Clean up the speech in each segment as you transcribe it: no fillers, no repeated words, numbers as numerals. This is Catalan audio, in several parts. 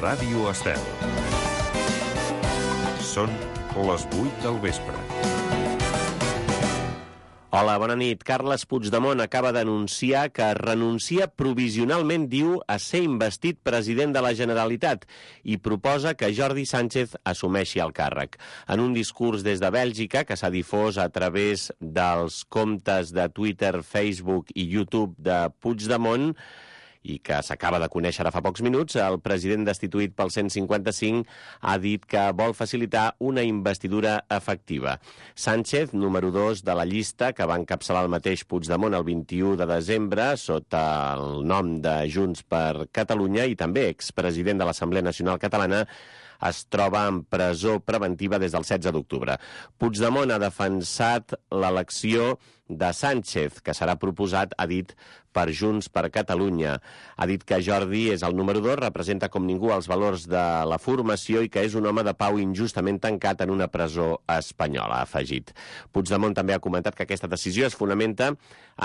Ràdio Estel. Són les 8 del vespre. Hola, bona nit. Carles Puigdemont acaba d'anunciar que renuncia provisionalment, diu, a ser investit president de la Generalitat i proposa que Jordi Sánchez assumeixi el càrrec. En un discurs des de Bèlgica, que s'ha difós a través dels comptes de Twitter, Facebook i YouTube de Puigdemont, i que s'acaba de conèixer ara fa pocs minuts, el president destituït pel 155 ha dit que vol facilitar una investidura efectiva. Sánchez, número 2 de la llista, que va encapçalar el mateix Puigdemont el 21 de desembre sota el nom de Junts per Catalunya i també expresident de l'Assemblea Nacional Catalana, es troba en presó preventiva des del 16 d'octubre. Puigdemont ha defensat l'elecció de Sánchez, que serà proposat, ha dit, per Junts per Catalunya. Ha dit que Jordi és el número 2, representa com ningú els valors de la formació i que és un home de pau injustament tancat en una presó espanyola, ha afegit. Puigdemont també ha comentat que aquesta decisió es fonamenta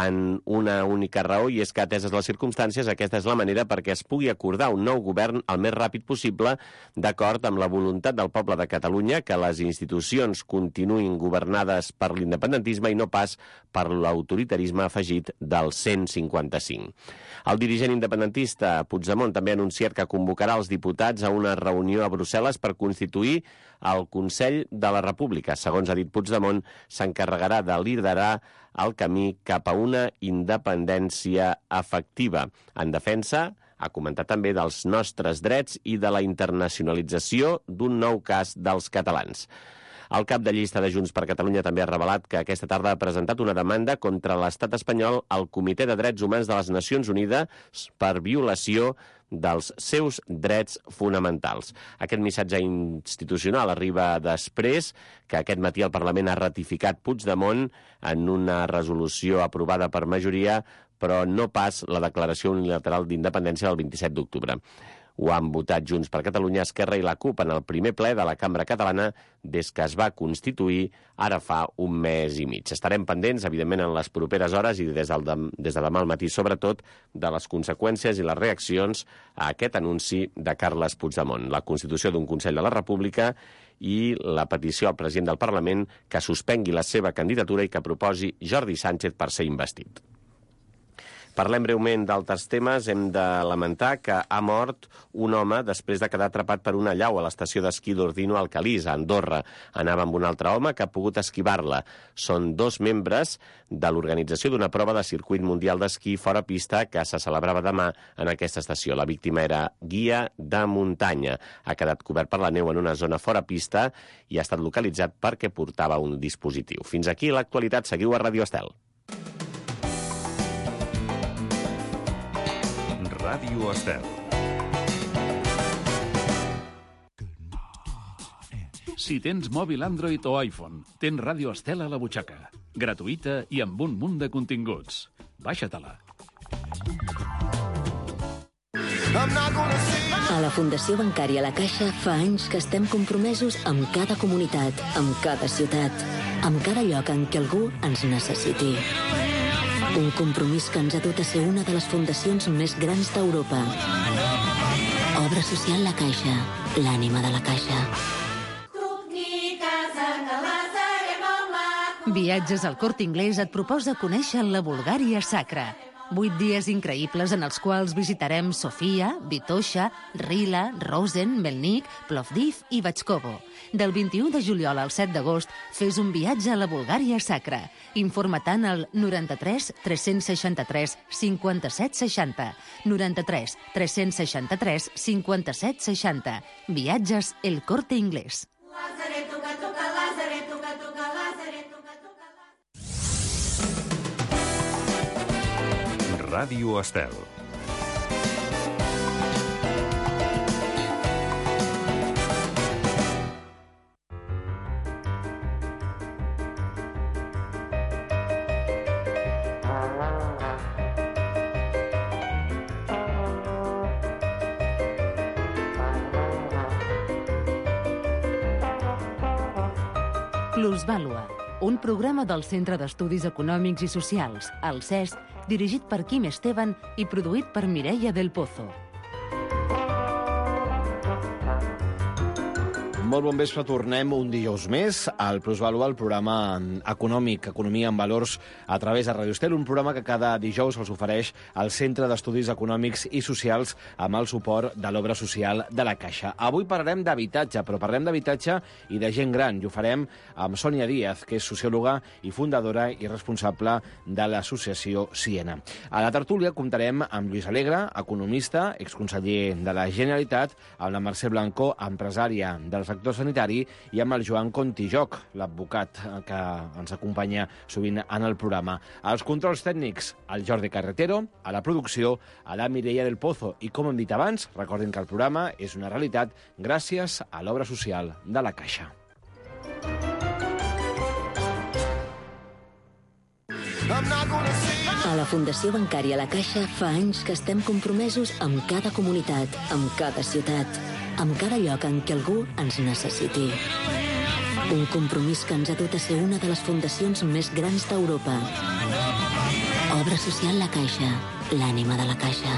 en una única raó i és que, ateses les circumstàncies, aquesta és la manera perquè es pugui acordar un nou govern el més ràpid possible, d'acord amb la voluntat del poble de Catalunya, que les institucions continuïn governades per l'independentisme i no pas per l'autoritarisme afegit del 155. El dirigent independentista Puigdemont també ha anunciat que convocarà els diputats a una reunió a Brussel·les per constituir el Consell de la República. Segons ha dit Puigdemont, s'encarregarà de liderar el camí cap a una independència efectiva. En defensa, ha comentat també dels nostres drets i de la internacionalització d'un nou cas dels catalans. El cap de llista de Junts per Catalunya també ha revelat que aquesta tarda ha presentat una demanda contra l'estat espanyol al Comitè de Drets Humans de les Nacions Unides per violació dels seus drets fonamentals. Aquest missatge institucional arriba després que aquest matí el Parlament ha ratificat Puigdemont en una resolució aprovada per majoria, però no pas la declaració unilateral d'independència del 27 d'octubre. Ho han votat Junts per Catalunya, Esquerra i la CUP en el primer ple de la Cambra Catalana des que es va constituir ara fa un mes i mig. Estarem pendents, evidentment, en les properes hores i des de demà al matí, sobretot, de les conseqüències i les reaccions a aquest anunci de Carles Puigdemont, la constitució d'un Consell de la República i la petició al president del Parlament que suspengui la seva candidatura i que proposi Jordi Sánchez per ser investit. Parlem breument d'altres temes. Hem de lamentar que ha mort un home després de quedar atrapat per una allau a l'estació d'esquí d'Ordino al Calís, a Andorra. Anava amb un altre home que ha pogut esquivar-la. Són 2 membres de l'organització d'una prova de circuit mundial d'esquí fora pista que se celebrava demà en aquesta estació. La víctima era guia de muntanya. Ha quedat cobert per la neu en una zona fora pista i ha estat localitzat perquè portava un dispositiu. Fins aquí l'actualitat. Seguiu a Ràdio Estel. Ràdio Estel. Si tens mòbil Android o iPhone, tens Ràdio Estel a la butxaca. Gratuïta i amb un munt de continguts. Baixa-te-la. A la Fundació Bancària La Caixa fa anys que estem compromesos amb cada comunitat, amb cada ciutat, amb cada lloc en què algú ens necessiti. Un compromís que ens ha dut a ser una de les fundacions més grans d'Europa. Obra social La Caixa, l'ànima de la Caixa. Viatges al Corte Inglés et proposa conèixer la Bulgària sacra. 8 dies increïbles en els quals visitarem Sofia, Vitoša, Rila, Rosen, Melnik, Plovdiv i Batxkovo. Del 21 de juliol al 7 d'agost, fes un viatge a la Bulgària sacra. Informa-te'n al 93 363 57 60. 93 363 57 60. Viatges El Corte Inglés. Ràdio Estel. Plusvàlua, un programa del Centre d'Estudis Econòmics i Socials, el CES, dirigit per Quim Esteban i produït per Mireia del Pozo. Molt bon vespre, tornem un dijous més al Plusvalua, el programa econòmic, Economia en Valors, a través de Radio Estel, un programa que cada dijous els ofereix el Centre d'Estudis Econòmics i Socials amb el suport de l'Obra Social de la Caixa. Avui parlarem d'habitatge, però parlem d'habitatge i de gent gran, i ho farem amb Sònia Díaz, que és sociòloga i fundadora i responsable de l'associació Siena. A la tertúlia comptarem amb Lluís Alegre, economista, exconseller de la Generalitat, amb la Mercè Blanco, empresària del sector sanitari, i amb el Joan Contijoc, l'advocat que ens acompanya sovint en el programa. Als controls tècnics, el Jordi Carretero, a la producció, a la Mireia del Pozo. I com hem dit abans, recordin que el programa és una realitat gràcies a l'Obra Social de la Caixa. A la Fundació Bancària La Caixa fa anys que estem compromesos amb cada comunitat, amb cada ciutat, amb cada lloc en què algú ens necessiti. Un compromís que ens ha dut a ser una de les fundacions més grans d'Europa. Obra Social La Caixa, l'ànima de la Caixa.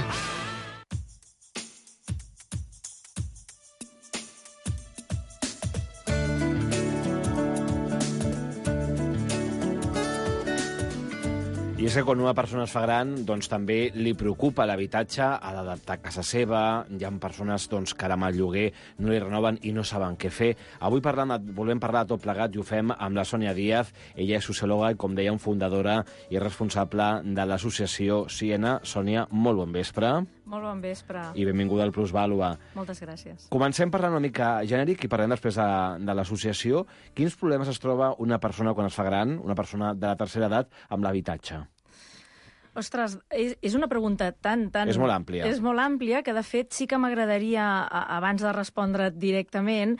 I és que quan una persona es fa gran, doncs també li preocupa l'habitatge, ha d'adaptar casa seva, hi ha persones que ara amb el lloguer no li renoven i no saben què fer. Avui volem parlar de tot plegat i ho fem amb la Sònia Díaz. Ella és sociòloga i, com dèiem, fundadora i responsable de l'associació Siena. Sònia, molt bon vespre. Molt bon vespre. I benvinguda al Plusvalua. Moltes gràcies. Comencem parlant una mica genèric i parlem després de l'associació. Quins problemes es troba una persona quan es fa gran, una persona de la tercera edat, amb l'habitatge? Ostres, és una pregunta tan... És molt àmplia. És molt àmplia, que de fet sí que m'agradaria, abans de respondre directament,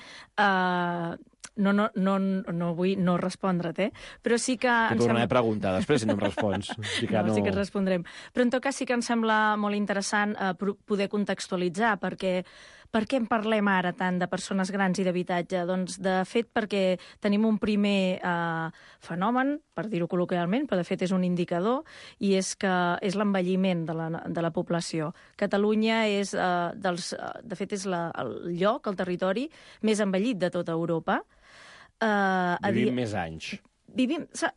no vull no respondre't, però sí que... T'ho tornaré a preguntar després si no em respons. Sí que et respondrem. Però en tot cas sí que em sembla molt interessant poder contextualitzar, perquè per què en parlem ara tant de persones grans i d'habitatge? Doncs, de fet, perquè tenim un primer fenomen, per dir-ho col·loquialment, però de fet és un indicador, i és que és l'envelliment de la població. Catalunya és, de fet, és el lloc, el territori més envellit de tota Europa. Vivim més anys.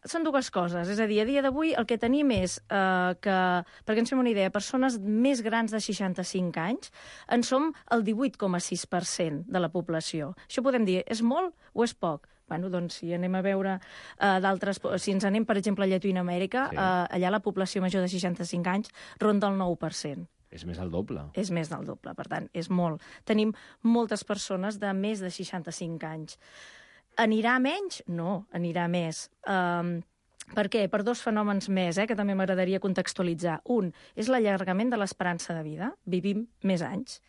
Són dues coses, és a dir, a dia d'avui el que tenim és que, perquè ens fem una idea, persones més grans de 65 anys en som el 18,6% de la població. Això podem dir, és molt o és poc? Bueno, doncs si anem a veure si ens anem, per exemple, a Llatinoamèrica, sí. Allà la població major de 65 anys ronda el 9%. És més del doble. És més del doble, per tant, és molt. Tenim moltes persones de més de 65 anys. Anirà menys? No, anirà més. Per què? Per dos fenòmens més, que també m'agradaria contextualitzar. Un és l'allargament de l'esperança de vida. Vivim més anys.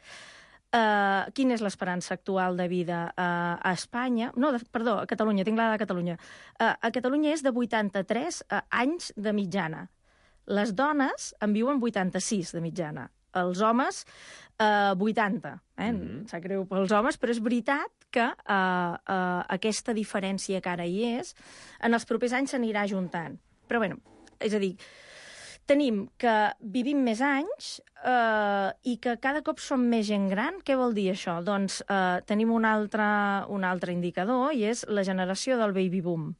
Quina és l'esperança actual de vida a Espanya? Perdó, a Catalunya, tinc la de Catalunya. A Catalunya és de 83 anys de mitjana. Les dones en viuen 86 de mitjana. Els homes, 80. Sap greu pels homes, però és veritat que aquesta diferència que ara hi és, en els propers anys s'anirà ajuntant. Però, bueno, és a dir, tenim que vivim més anys i que cada cop som més gent gran. Què vol dir això? Doncs tenim un altre indicador, i és la generació del baby boom.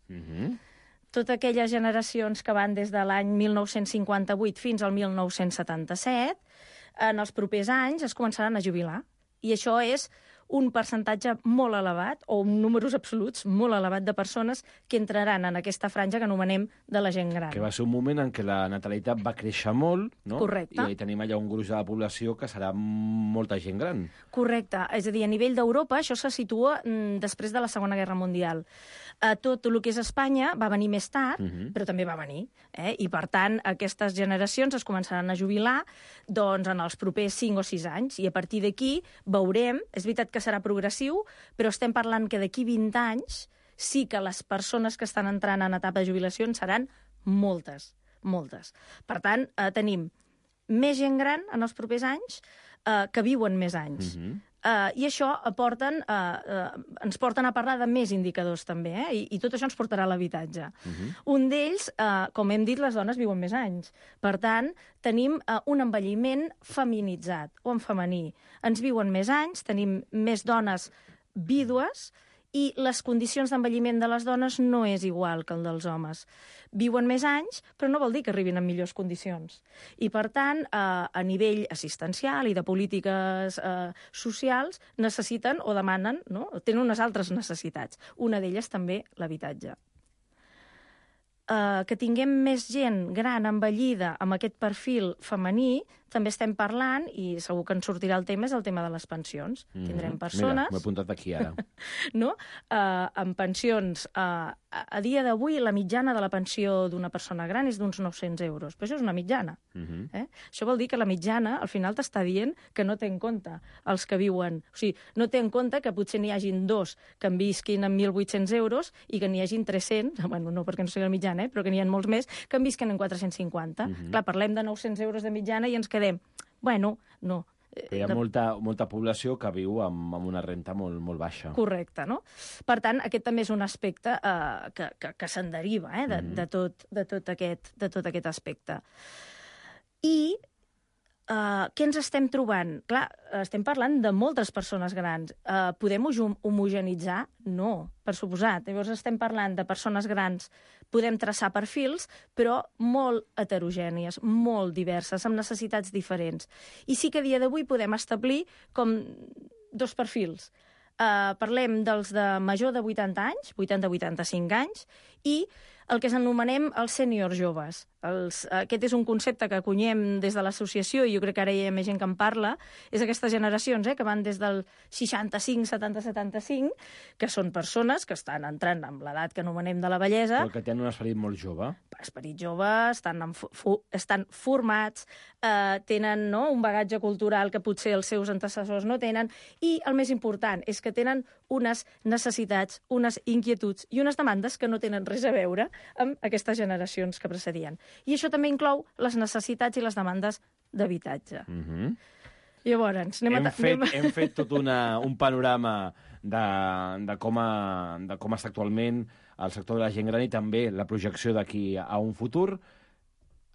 Totes aquelles generacions que van des de l'any 1958 fins al 1977, en els propers anys es començaran a jubilar. I això és un percentatge molt elevat, o números absoluts molt elevat de persones que entraran en aquesta franja que anomenem de la gent gran. Que va ser un moment en què la natalitat va créixer molt, no? Correcte. I tenim allà un gruix de la població que serà molta gent gran. Correcte. És a dir, a nivell d'Europa això se situa després de la Segona Guerra Mundial. Tot el que és Espanya va venir més tard, però també va venir. I, per tant, aquestes generacions es començaran a jubilar doncs, en els propers 5 o 6 anys, i a partir d'aquí veurem, és veritat que serà progressiu, però estem parlant que d'aquí 20 anys sí que les persones que estan entrant en etapa de jubilació seran moltes, moltes. Per tant, tenim més gent gran en els propers anys que viuen més anys. I això ens porten a parlar de més indicadors també, i tot això ens portarà a l'habitatge. Un d'ells, com hem dit, les dones viuen més anys. Per tant, tenim un envelliment feminitzat o en femení. Ens viuen més anys, tenim més dones vídues, i les condicions d'envelliment de les dones no és igual que el dels homes. Viuen més anys, però no vol dir que arribin en millors condicions. I, per tant, a nivell assistencial i de polítiques socials, necessiten o demanen, no? Tenen unes altres necessitats. Una d'elles també l'habitatge. Que tinguem més gent gran envellida amb aquest perfil femení, també estem parlant, i segur que ens sortirà el tema, és el tema de les pensions. Tindrem persones... Mira, m'ho he apuntat aquí ara. No? Amb pensions... A dia d'avui, la mitjana de la pensió d'una persona gran és d'uns 900 euros. Però això és una mitjana. Això vol dir que la mitjana, al final, t'està dient que no té en compte els que viuen... O sigui, no té en compte que potser n'hi hagin dos que en visquin amb 1.800 euros i que n'hi hagin 300, bueno, no perquè no sigui la mitjana, però que n'hi ha molts més, que en visquen en 450. Clar, parlem de 900 euros de mitjana i ens quedem... Bueno, no. Hi ha molta població que viu amb una renta molt baixa. Correcte, no? Per tant, aquest també és un aspecte que se'n deriva de tot aquest aspecte. I què ens estem trobant? Clar, estem parlant de moltes persones grans. Podem homogenitzar? No, per suposat. Llavors estem parlant de persones grans, podem traçar perfils, però molt heterogènies, molt diverses, amb necessitats diferents. I sí que a dia d'avui podem establir com dos perfils. Parlem dels de major de 80 anys, 80-85 anys, i el que s'anomenem els sèniors joves. Aquest és un concepte que acunyem des de l'associació, i jo crec que ara hi ha més gent que en parla, és aquestes generacions que van des del 65, 70, 75, que són persones que estan entrant en l'edat que anomenem de la vellesa. Però que tenen un esperit molt jove. Esperit jove, estan formats, tenen un bagatge cultural que potser els seus antecessors no tenen, i el més important és que tenen unes necessitats, unes inquietuds i unes demandes que no tenen res a veure amb aquestes generacions que precedien. I això també inclou les necessitats i les demandes d'habitatge. Llavors, hem fet tot un panorama de com està actualment el sector de la gent gran i també la projecció d'aquí a un futur.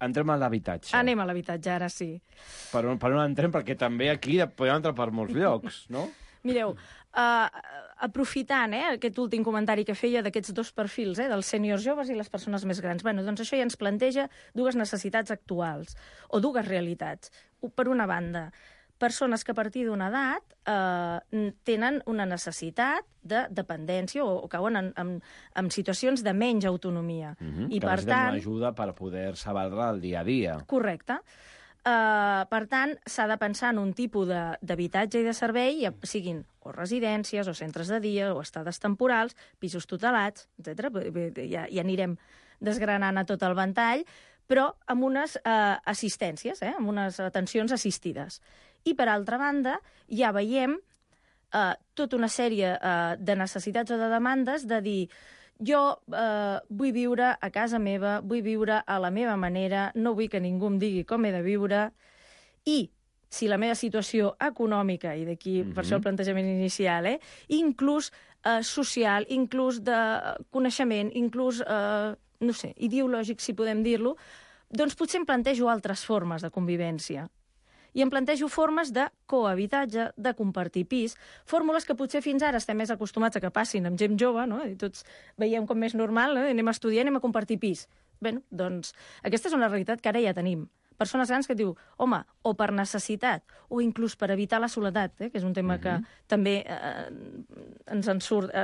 Entrem a l'habitatge. Anem a l'habitatge, ara sí. Per on entrem? Perquè també aquí podem entrar per molts llocs, no? Mireu, aprofitant aquest últim comentari que feia d'aquests dos perfils, dels sèniors joves i les persones més grans, doncs això ja ens planteja dues necessitats actuals, o dues realitats. Per una banda, persones que a partir d'una edat tenen una necessitat de dependència o cauen en situacions de menys autonomia. I que per tant, una ajuda per poder-se valdre el dia a dia. Correcte. Per tant, s'ha de pensar en un tipus d'habitatge i de servei, siguin o residències, o centres de dia, o estades temporals, pisos tutelats, etc. Ja anirem desgranant a tot el ventall, però amb unes assistències, amb unes atencions assistides. I, per altra banda, ja veiem tota una sèrie de necessitats o de demandes de dir jo vull viure a casa meva, vull viure a la meva manera, no vull que ningú em digui com he de viure, i si la meva situació econòmica, i d'aquí per això el plantejament inicial, inclús social, inclús de coneixement, inclús, no sé, ideològic, si podem dir-lo, doncs potser em plantejo altres formes de convivència. I em plantejo formes de cohabitatge, de compartir pis, fórmules que potser fins ara estem més acostumats a que passin amb gent jove, no? I tots veiem com més normal, anem a estudiar, anem a compartir pis. Bé, doncs aquesta és una realitat que ara ja tenim. Persones grans que diu, home, o per necessitat, o inclús per evitar la soledat, que és un tema que també ens en surt.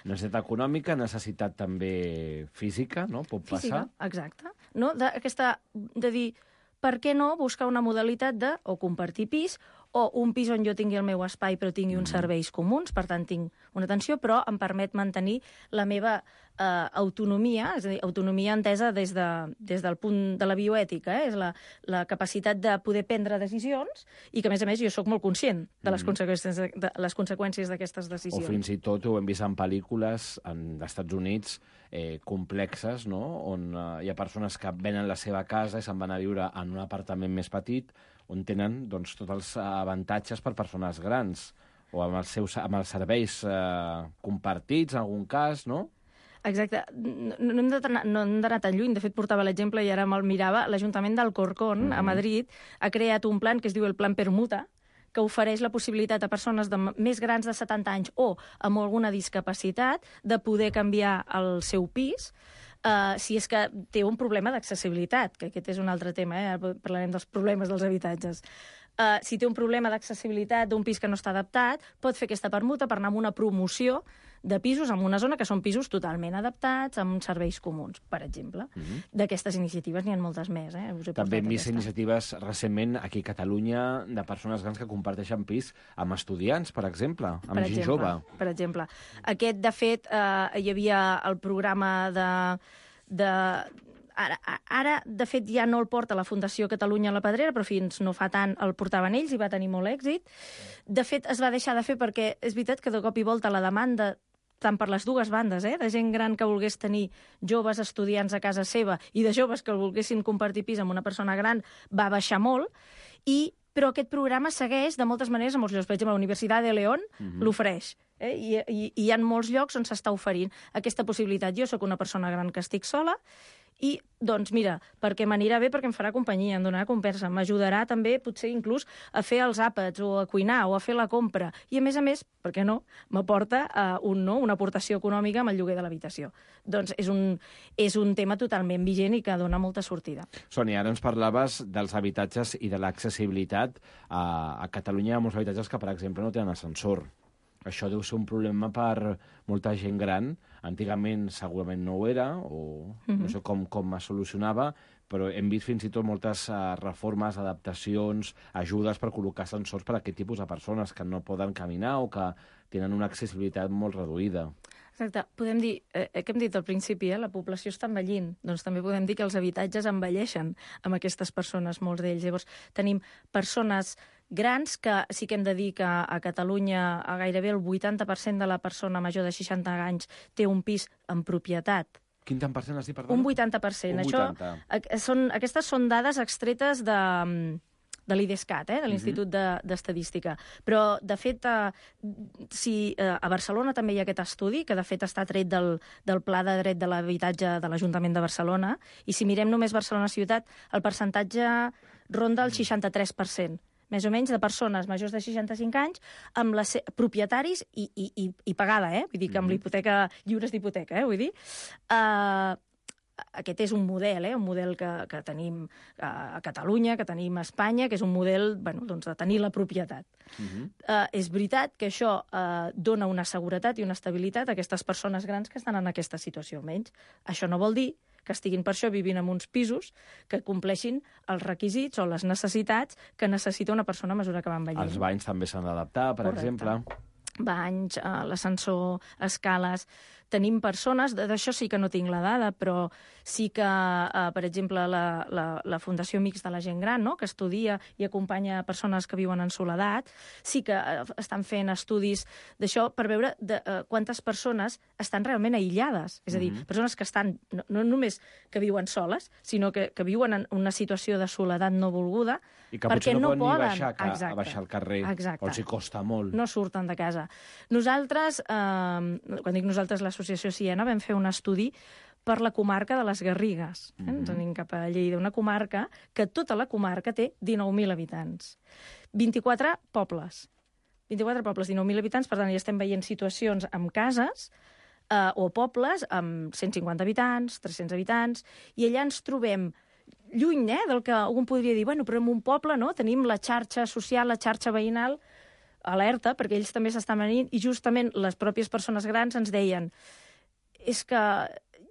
Necessitat econòmica, necessitat també física, no? Pot passar. Física, exacte. No? De dir, per què no buscar una modalitat de o compartir pis o un pis on jo tingui el meu espai però tingui uns serveis comuns, per tant tinc una atenció, però em permet mantenir la meva autonomia, és a dir, autonomia entesa des del punt de la bioètica, és la capacitat de poder prendre decisions i que, a més, jo sóc molt conscient de les conseqüències d'aquestes decisions. O fins i tot ho hem vist en pel·lícules als Estats Units complexes, no? On hi ha persones que venen la seva casa i se'n van a viure en un apartament més petit on tenen tots els avantatges per persones grans o amb els serveis compartits, en algun cas, no? Exacte. No hem d'anar tan lluny. De fet, portava l'exemple i ara me'l mirava. L'Ajuntament d'Alcorcón, a Madrid, ha creat un plan que es diu el Plan Permuta, que ofereix la possibilitat a persones més grans de 70 anys o amb alguna discapacitat de poder canviar el seu pis si és que té un problema d'accessibilitat, que aquest és un altre tema, ara parlarem dels problemes dels habitatges. Si té un problema d'accessibilitat d'un pis que no està adaptat, pot fer aquesta permuta per anar a una promoció de pisos en una zona que són pisos totalment adaptats, amb serveis comuns, per exemple. D'aquestes iniciatives n'hi ha moltes més. També hem vist iniciatives recentment aquí a Catalunya de persones grans que comparteixen pis amb estudiants, per exemple, amb gent jove. Per exemple. Aquest, de fet, hi havia el programa de Ara, de fet, ja no el porta la Fundació Catalunya a la Pedrera, però fins no fa tant el portaven ells i va tenir molt èxit. De fet, es va deixar de fer perquè és veritat que de cop i volta la demanda, tant per les dues bandes, de gent gran que volgués tenir joves estudiants a casa seva i de joves que volguessin compartir pis amb una persona gran, va baixar molt, però aquest programa segueix de moltes maneres a molts llocs. Per exemple, la Universitat de León l'ofereix. I hi ha molts llocs on s'està oferint aquesta possibilitat. Jo sóc una persona gran que estic sola i, doncs, mira, perquè m'anirà bé, perquè em farà companyia, em donarà conversa, m'ajudarà també, potser inclús, a fer els àpats o a cuinar o a fer la compra. I, a més, per què no, m'aporta una aportació econòmica amb el lloguer de l'habitació. Doncs és un tema totalment vigent i que dona molta sortida. Sònia, ara ens parlaves dels habitatges i de l'accessibilitat. A Catalunya hi ha molts habitatges que, per exemple, no tenen ascensor. Això deu ser un problema per molta gent gran. Antigament segurament no ho era, o no sé com es solucionava, però hem vist fins i tot moltes reformes, adaptacions, ajudes per col·locar ascensors per a aquest tipus de persones que no poden caminar o que tenen una accessibilitat molt reduïda. Exacte. Podem dir, que hem dit al principi, la població està envellint. Doncs també podem dir que els habitatges envelleixen amb aquestes persones, molts d'ells. Llavors, tenim persones grans que sí que hem de dir que a Catalunya gairebé el 80% de la persona major de 60 anys té un pis en propietat. Quin tant per cent has dit, perdona? Un 80%. Aquestes són dades extretes de l'IDESCAT, de l'Institut d'Estadística. Però, de fet, a Barcelona també hi ha aquest estudi, que de fet està tret del Pla de Dret de l'Habitatge de l'Ajuntament de Barcelona, i si mirem només Barcelona ciutat, el percentatge ronda el 63%. Més o menys de persones majors de 65 anys amb propietaris i pagada, vull dir que amb l'hipoteca, lliures d'hipoteca, vull dir. Aquest és un model que tenim a Catalunya, que tenim a Espanya, que és un model de tenir la propietat. És veritat que això dona una seguretat i una estabilitat a aquestes persones grans que estan en aquesta situació, almenys. Això no vol dir que estiguin per això vivint en uns pisos que compleixin els requisits o les necessitats que necessita una persona a mesura que va envellint. Els banys també s'han d'adaptar, per exemple. Banys, l'ascensor, escales. Tenim persones, d'això sí que no tinc la dada, però sí que, per exemple, la Fundació Amics de la Gent Gran, que estudia i acompanya persones que viuen en soledat, sí que estan fent estudis d'això per veure quantes persones estan realment aïllades. És a dir, persones que estan, no només que viuen soles, sinó que viuen en una situació de soledat no volguda, i que potser no poden ni baixar al carrer, o els hi costa molt. No surten de casa. Nosaltres, quan dic nosaltres, l'Associació Siena, vam fer un estudi per la comarca de les Garrigues. Ens anem cap a Lleida, una comarca que tota la comarca té 19.000 habitants. 24 pobles. 19.000 habitants, per tant, ja estem veient situacions amb cases o pobles amb 150 habitants, 300 habitants, i allà ens trobem lluny del que algú podria dir, però en un poble tenim la xarxa social, la xarxa veïnal, alerta, perquè ells també s'estan venint, i justament les pròpies persones grans ens deien és que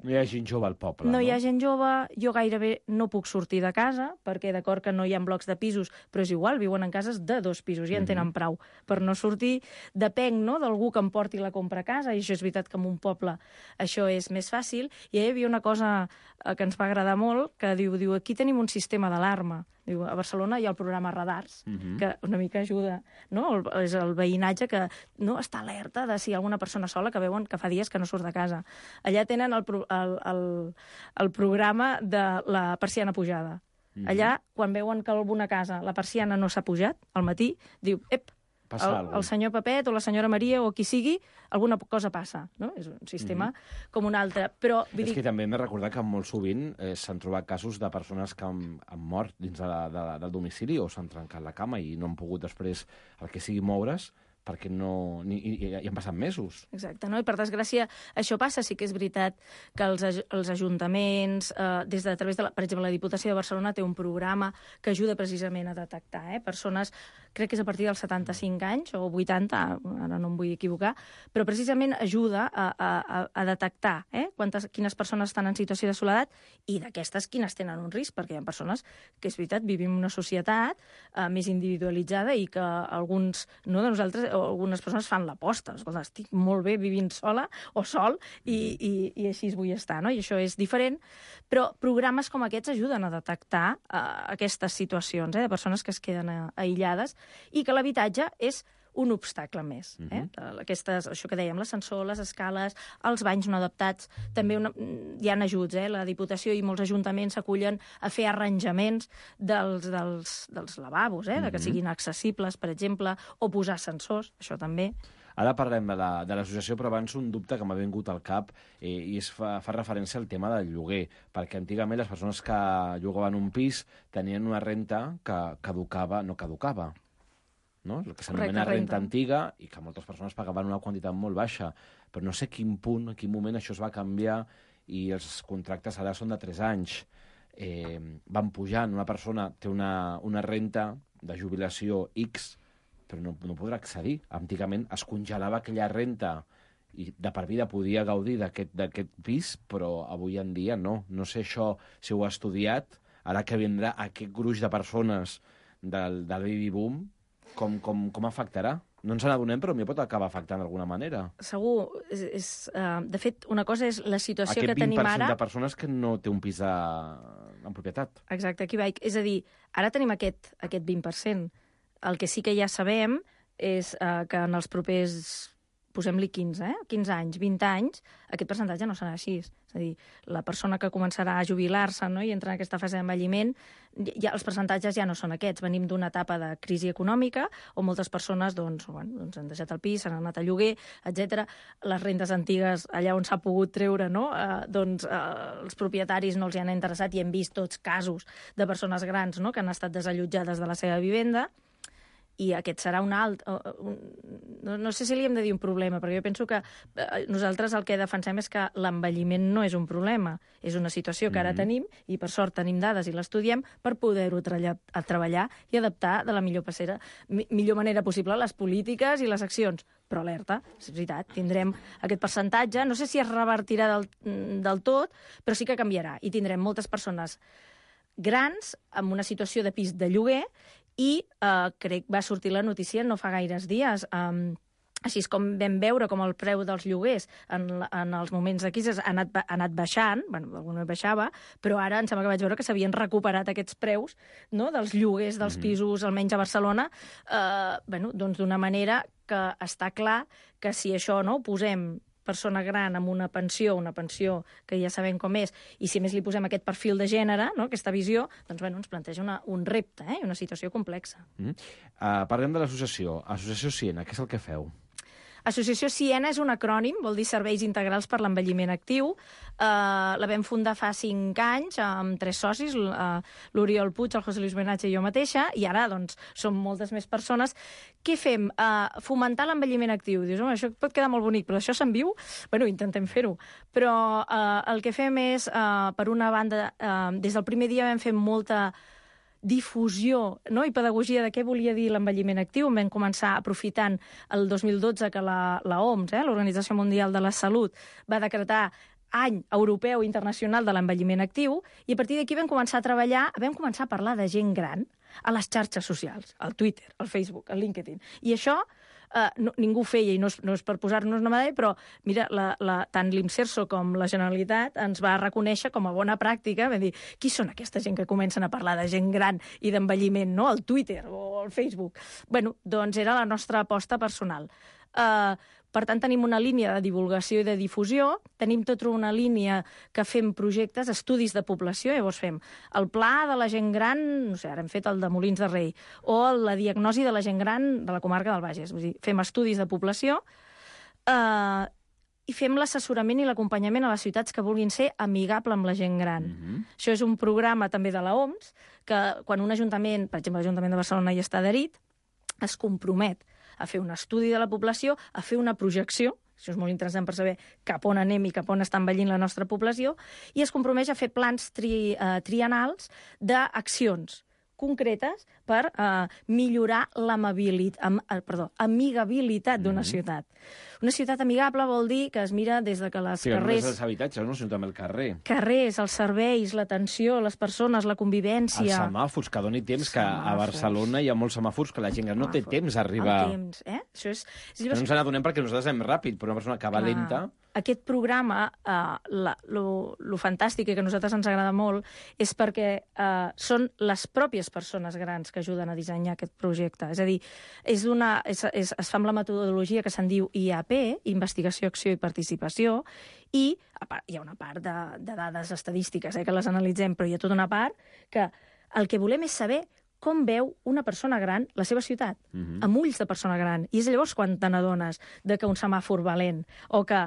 no hi ha gent jove al poble, no hi ha gent jove, jo gairebé no puc sortir de casa, perquè d'acord que no hi ha blocs de pisos, però és igual, viuen en cases de 2 pisos, ja en tenen prou per no sortir. Depenc d'algú que em porti la compra a casa, i això és veritat que en un poble això és més fàcil. I hi havia una cosa que ens va agradar molt, que diu aquí tenim un sistema d'alarma. Diu, a Barcelona hi ha el programa Radars, que una mica ajuda, és el veïnatge que està alerta de si hi ha alguna persona sola que veuen que fa dies que no surt de casa. Allà tenen el programa de la persiana pujada. Allà, quan veuen que alguna casa, la persiana no s'ha pujat, al matí, diu, passa alguna cosa. El senyor Pepet o la senyora Maria o qui sigui, alguna cosa passa, no? És un sistema com un altre. Però, és que també m'he recordat que molt sovint s'han trobat casos de persones que han mort dins del domicili o s'han trencat la cama i no han pogut després el que sigui moure's, perquè i han passat mesos. Exacte, no? I per desgràcia això passa. Sí que és veritat que els ajuntaments, a través de, per exemple, la Diputació de Barcelona té un programa que ajuda precisament a detectar persones, crec que és a partir dels 75 anys o 80, ara no em vull equivocar, però precisament ajuda a detectar quines persones estan en situació de soledat i d'aquestes quines tenen un risc, perquè hi ha persones que, és veritat, vivim en una societat més individualitzada i que alguns de nosaltres o algunes persones fan l'aposta. Escolta, estic molt bé vivint sola o sol i així vull estar, no? I això és diferent, però programes com aquests ajuden a detectar aquestes situacions de persones que es queden aïllades i que l'habitatge és un obstacle més. Això que dèiem, l'ascensor, les escales, els banys no adaptats, també hi ha ajuts. La Diputació i molts ajuntaments s'acullen a fer arranjaments dels lavabos, que siguin accessibles, per exemple, o posar ascensors, això també. Ara parlem de l'associació, però abans un dubte que m'ha vingut al cap i fa referència al tema del lloguer, perquè antigament les persones que llogaven un pis tenien una renta que no caducava. No? El que s'anomena renta antiga i que moltes persones pagaven una quantitat molt baixa, però no sé quin moment això es va canviar i els contractes ara són de 3 anys. Van pujant, una persona té una renta de jubilació X, però no podrà accedir. Antigament es congelava aquella renta i de per vida podia gaudir d'aquest pis, però avui en dia no. No sé això si ho ha estudiat, ara que vindrà aquest gruix de persones del baby boom, com afectarà? No ens n'adonem, però m'hi pot acabar afectant d'alguna manera. Segur. De fet, una cosa és la situació que tenim ara... Aquest 20% de persones que no té un pis en propietat. Exacte, aquí vaig. És a dir, ara tenim aquest 20%. El que sí que ja sabem és que en els propers, posem-li 15 anys, 20 anys, aquest percentatge no serà així. És a dir, la persona que començarà a jubilar-se, no?, i entrar en aquesta fase d'envelliment, els percentatges ja no són aquests. Venim d'una etapa de crisi econòmica on moltes persones han deixat el pis, s'han anat a lloguer, etc. Les rendes antigues, allà on s'ha pogut treure, no?, els propietaris no els hi han interessat i hem vist tots casos de persones grans, no?, que han estat desallotjades de la seva vivenda. I aquest serà un alt... No sé si li hem de dir un problema, perquè jo penso que nosaltres el que defensem és que l'envelliment no és un problema, és una situació que ara tenim, i per sort tenim dades i l'estudiem, per poder-ho treballar i adaptar de la millor manera possible les polítiques i les accions. Però alerta, és veritat, tindrem aquest percentatge, no sé si es revertirà del tot, però sí que canviarà, i tindrem moltes persones grans amb una situació de pis de lloguer i crec que va sortir la notícia no fa gaires dies. Així és com vam veure com el preu dels lloguers en els moments de crisi ha anat baixant, alguna baixava, però ara em sembla que vaig veure que s'havien recuperat aquests preus, no?, dels lloguers dels pisos, almenys a Barcelona, d'una manera que està clar que si això ho posem persona gran amb una pensió que ja sabem com és, i si més li posem aquest perfil de gènere, no?, aquesta visió, doncs ens planteja un repte, una situació complexa. Parlem de l'associació. Associació Siena, què és el que feu? Associació Siena és un acrònim, vol dir Serveis Integrals per l'Envelliment Actiu. La vam fundar fa 5 anys amb 3 socis, l'Oriol Puig, el José Luis Benatge i jo mateixa, i ara som moltes més persones. Què fem? Fomentar l'envelliment actiu. Dius, home, això pot quedar molt bonic, però això se'n viu? Intentem fer-ho. Però el que fem és, per una banda, des del primer dia vam fer molta difusió, no?, i pedagogia de què volia dir l'envelliment actiu. Vam començar aprofitant el 2012 que la OMS, l'Organització Mundial de la Salut, va decretar any europeu internacional de l'envelliment actiu, i a partir d'aquí vam començar a treballar, vam començar a parlar de gent gran a les xarxes socials, al Twitter, al Facebook, al LinkedIn. I això ningú ho feia, i no és per posar-nos una medalla, però mira, tant l'Imserso com la Generalitat ens va reconèixer com a bona pràctica, vam dir, qui són aquesta gent que comencen a parlar de gent gran i d'envelliment, no?, al Twitter o al Facebook. Doncs era la nostra aposta personal. Per tant, tenim una línia de divulgació i de difusió, tenim tota una línia que fem projectes, estudis de població, llavors fem el pla de la gent gran, no sé, ara hem fet el de Molins de Rei, o la diagnosi de la gent gran de la comarca del Bages. Vull dir, fem estudis de població, i fem l'assessorament i l'acompanyament a les ciutats que vulguin ser amigable amb la gent gran. Això és un programa també de l'OMS, que quan un ajuntament, per exemple, l'Ajuntament de Barcelona hi està adherit, es compromet a fer un estudi de la població, a fer una projecció, això és molt interessant per saber cap on anem i cap on està envellint la nostra població, i es compromet a fer plans triennals d'accions concretes per millorar amigabilitat d'una ciutat. Una ciutat amigable vol dir que es mira des de que les carrers... carrers... Sí, els habitatges, no? Sinó també el carrer. Carrers, els serveis, l'atenció, les persones, la convivència... Els semàfors, que doni temps, que a Barcelona hi ha molts semàfors que la gent no té temps a arribar... El temps, eh? Això és... No ens n'adonem perquè nosaltres anem ràpid, però una persona que va lenta... Aquest programa, lo fantàstic i que a nosaltres ens agrada molt, és perquè són les pròpies persones grans que ajuden a dissenyar aquest projecte. És a dir, es fa amb la metodologia que se'n diu IAP, Investigació, Acció i Participació, i hi ha una part de dades estadístiques que les analitzem, però hi ha tota una part que el que volem és saber com veu una persona gran la seva ciutat, amb ulls de persona gran. I és llavors quan te n'adones que un semàfor va lent, o que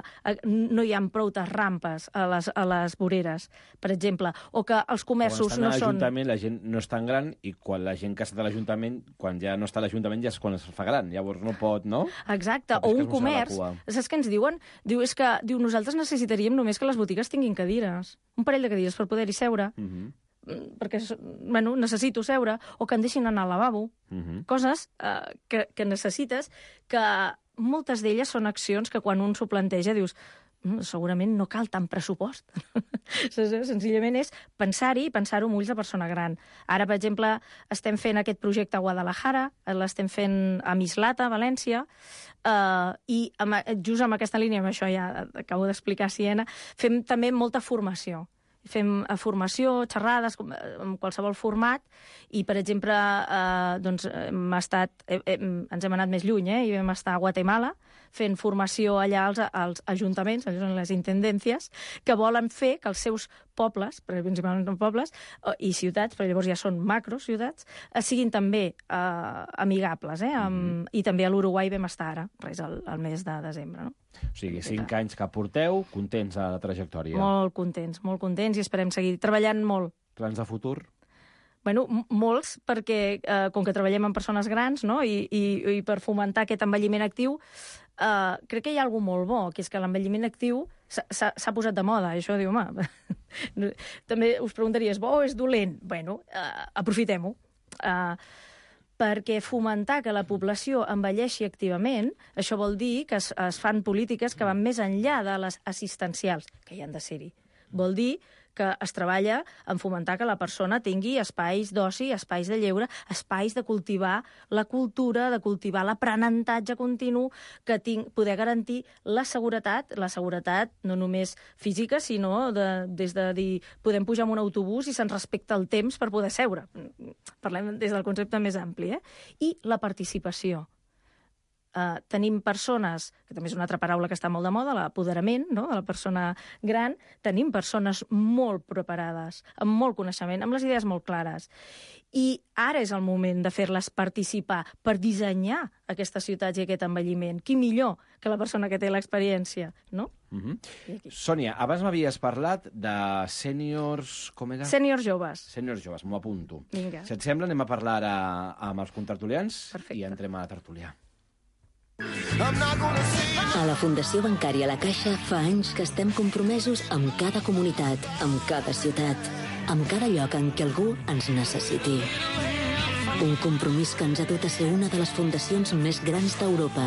no hi ha prou rampes a les voreres, per exemple, o que els comerços no són... Quan està a l'Ajuntament la gent no és tan gran, i quan la gent que està a l'Ajuntament, quan ja no està a l'Ajuntament, ja és quan es fa gran. Llavors no pot, no? Exacte, o un comerç. Saps què ens diuen? Diu, nosaltres necessitaríem només que les botigues tinguin cadires. Un parell de cadires per poder-hi seure. Perquè necessito seure, o que em deixin anar al lavabo. Coses que necessites, que moltes d'elles són accions que quan un s'ho planteja dius segurament no cal tant pressupost. Senzillament és pensar-hi i pensar-ho amb ulls de persona gran. Ara, per exemple, estem fent aquest projecte a Guadalajara, l'estem fent a Mislata, a València, i just amb aquesta línia, amb això ja acabo d'explicar a Siena, fem també molta formació. Fem formació, xerrades, en qualsevol format, i, per exemple, ens hem anat més lluny, i vam estar a Guatemala fent formació allà als ajuntaments, allò són les intendències, que volen fer que els seus pobles, principalment pobles, i ciutats, però llavors ja són macrociutats, siguin també amigables. I també a l'Uruguai vam estar ara, el mes de desembre. O sigui, 5 anys que porteu, contents a la trajectòria. Molt contents, i esperem seguir treballant molt. Plans de futur? Bueno, molts, perquè com que treballem amb persones grans, no? I per fomentar aquest envelliment actiu, crec que hi ha alguna molt bo, que és que l'envelliment actiu s'ha posat de moda. I això diu, home, també us preguntaries, bo o és dolent? Bueno, aprofitem-ho. Perquè fomentar que la població envelleixi activament, això vol dir que es fan polítiques que van més enllà de les assistencials, que hi han de ser-hi. Vol dir que es treballa en fomentar que la persona tingui espais d'oci, espais de lleure, espais de cultivar la cultura, de cultivar l'aprenentatge continu, que poder garantir la seguretat no només física, sinó des de dir, podem pujar en un autobús i se'ns respecta el temps per poder seure. Parlem des del concepte més ampli. I la participació. Tenim persones, que també és una altra paraula que està molt de moda, l'apoderament, no?, de la persona gran. Tenim persones molt preparades, amb molt coneixement, amb les idees molt clares. I ara és el moment de fer-les participar per dissenyar aquestes ciutats i aquest envelliment. Qui millor que la persona que té l'experiència, no? Sònia, abans m'havies parlat de sèniors... Com era? Sèniors joves. Sèniors joves, m'ho apunto. Vinga. Si et sembla, anem a parlar ara amb els contertulians. Perfecte. I entrem a la tertúlia. A la Fundació Bancària La Caixa fa anys que estem compromesos amb cada comunitat, amb cada ciutat, amb cada lloc en què algú ens necessiti. Un compromís que ens ha dut a ser una de les fundacions més grans d'Europa.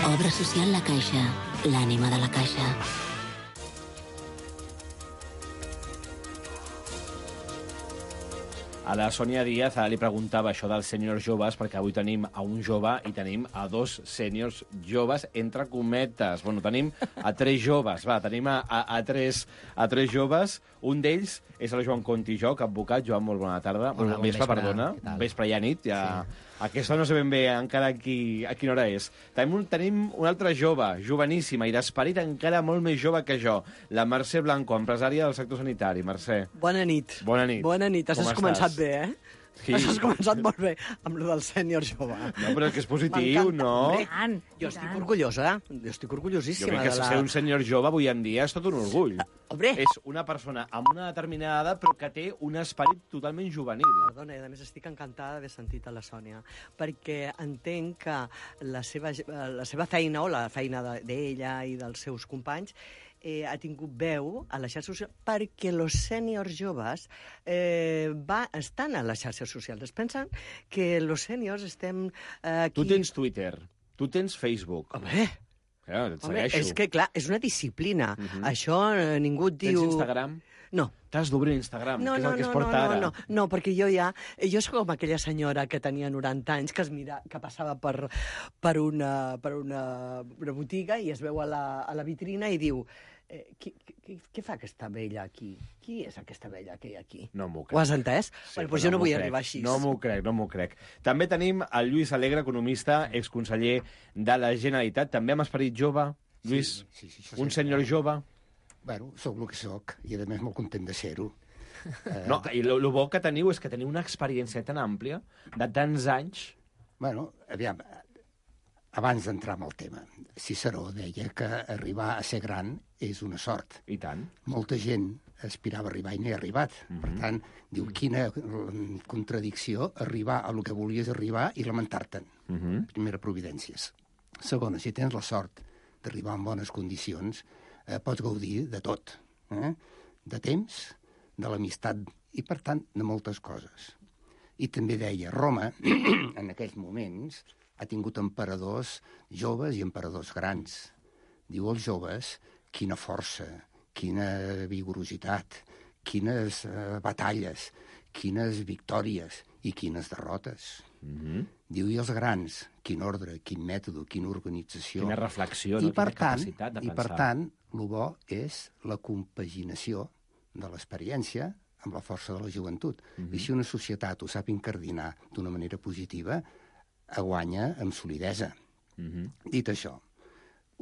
Obra social La Caixa, l'ànima de la Caixa. A la Sònia Díaz li preguntava això dels sèniors joves, perquè avui tenim a un jove i tenim a 2 sèniors joves, entre cometes. Bueno, tenim a 3 joves, tenim a 3 joves. Un d'ells és el Joan Conti Joc, advocat. Joan, molt bona tarda. Hola, Vespre, perdona. Què tal? Vespre i nit, ja... Sí. Aquesta no sé ben bé encara a quina hora és. Tenim una altra jove, joveníssima i d'esperit encara molt més jove que jo, la Mercè Blanco, empresària del sector sanitari. Mercè. Bona nit. Bona nit. Bona nit. Has començat bé, eh? Sí. Has començat molt bé amb lo del sènior jove. No, però és que és positiu, no? Jo estic orgullosa, jo estic orgullosíssima. Jo crec que ser un senyor jove avui en dia és tot un orgull. Hombre. És una persona amb una determinada edat però que té un esperit totalment juvenil. Perdona, a més estic encantada d'haver sentit a la Sònia, perquè entenc que la seva feina, o la feina d'ella i dels seus companys, ha tingut veu a les xarxes socials perquè els sèniors joves estan a les xarxes socials. Es pensen que els sèniors estem aquí... Tu tens Twitter, tu tens Facebook. Home, és que, clar, és una disciplina. Això ningú et diu... Tens Instagram? No. T'has d'obrir Instagram, que és el que es porta ara. No, perquè jo soc com aquella senyora que tenia 90 anys, que passava per una botiga i es veu a la vitrina i diu què fa aquesta vella aquí? Qui és aquesta vella que hi ha aquí? No m'ho crec. Ho has entès? Sí, doncs jo no vull arribar així. No m'ho crec. També tenim el Lluís Alegre, economista, exconseller de la Generalitat, també amb esperit jove. Lluís, sí, un senyor jove. Bueno, sóc el que sóc, i a més molt content de ser-ho. No, i el bo que teniu és que teniu una experiència tan àmplia, de tants anys. Bueno, aviam, abans d'entrar en el tema, Ciceró deia que arribar a ser gran és una sort. I tant. Molta gent aspirava a arribar i n'hi ha arribat. Per tant, diu, quina contradicció arribar a lo que volies arribar i lamentar-te'n. Primera, providències. Segona, si tens la sort d'arribar en bones condicions, pots gaudir de tot. De temps, de l'amistat i, per tant, de moltes coses. I també deia, Roma, en aquells moments, ha tingut emperadors joves i emperadors grans. Diu als joves, quina força, quina vigorositat, quines batalles, quines victòries i quines derrotes. Diu, i els grans, quin ordre, quin mètode, quina organització. Quina reflexió, quina capacitat de pensar. I per tant, el bo és la compaginació de l'experiència amb la força de la joventut. I si una societat ho sap incardinar d'una manera positiva, guanya amb solidesa. Dit això,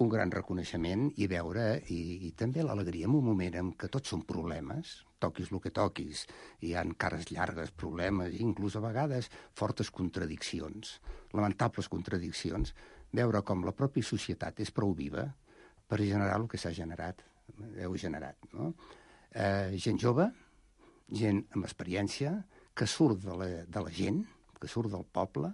un gran reconeixement i veure, i també l'alegria en un moment en què tots són problemes, toquis el que toquis, hi ha cares llargues, problemes, inclús a vegades fortes contradiccions, lamentables contradiccions, veure com la pròpia societat és prou viva per generar el que s'ha generat, heu generat, no? Gent jove, gent amb experiència, que surt de la gent, que surt del poble.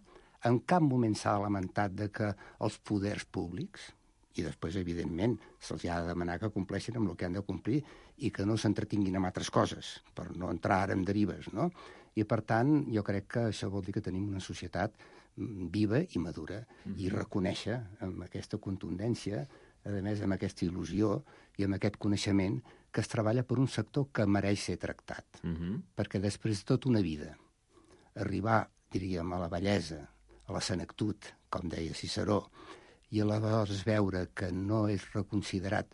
En cap moment s'ha lamentat de que els poders públics, i després, evidentment, se'ls ha de demanar que compleixin amb el que han de complir i que no s'entretinguin amb altres coses, per no entrar ara en derives, no? I, per tant, jo crec que això vol dir que tenim una societat viva i madura, i reconèixer amb aquesta contundència, a més, amb aquesta il·lusió i amb aquest coneixement que es treballa per un sector que mereix ser tractat. Perquè després de tota una vida, arribar, diríem, a la bellesa, a la senectut, com deia Ciceró, i aleshores veure que no és reconsiderat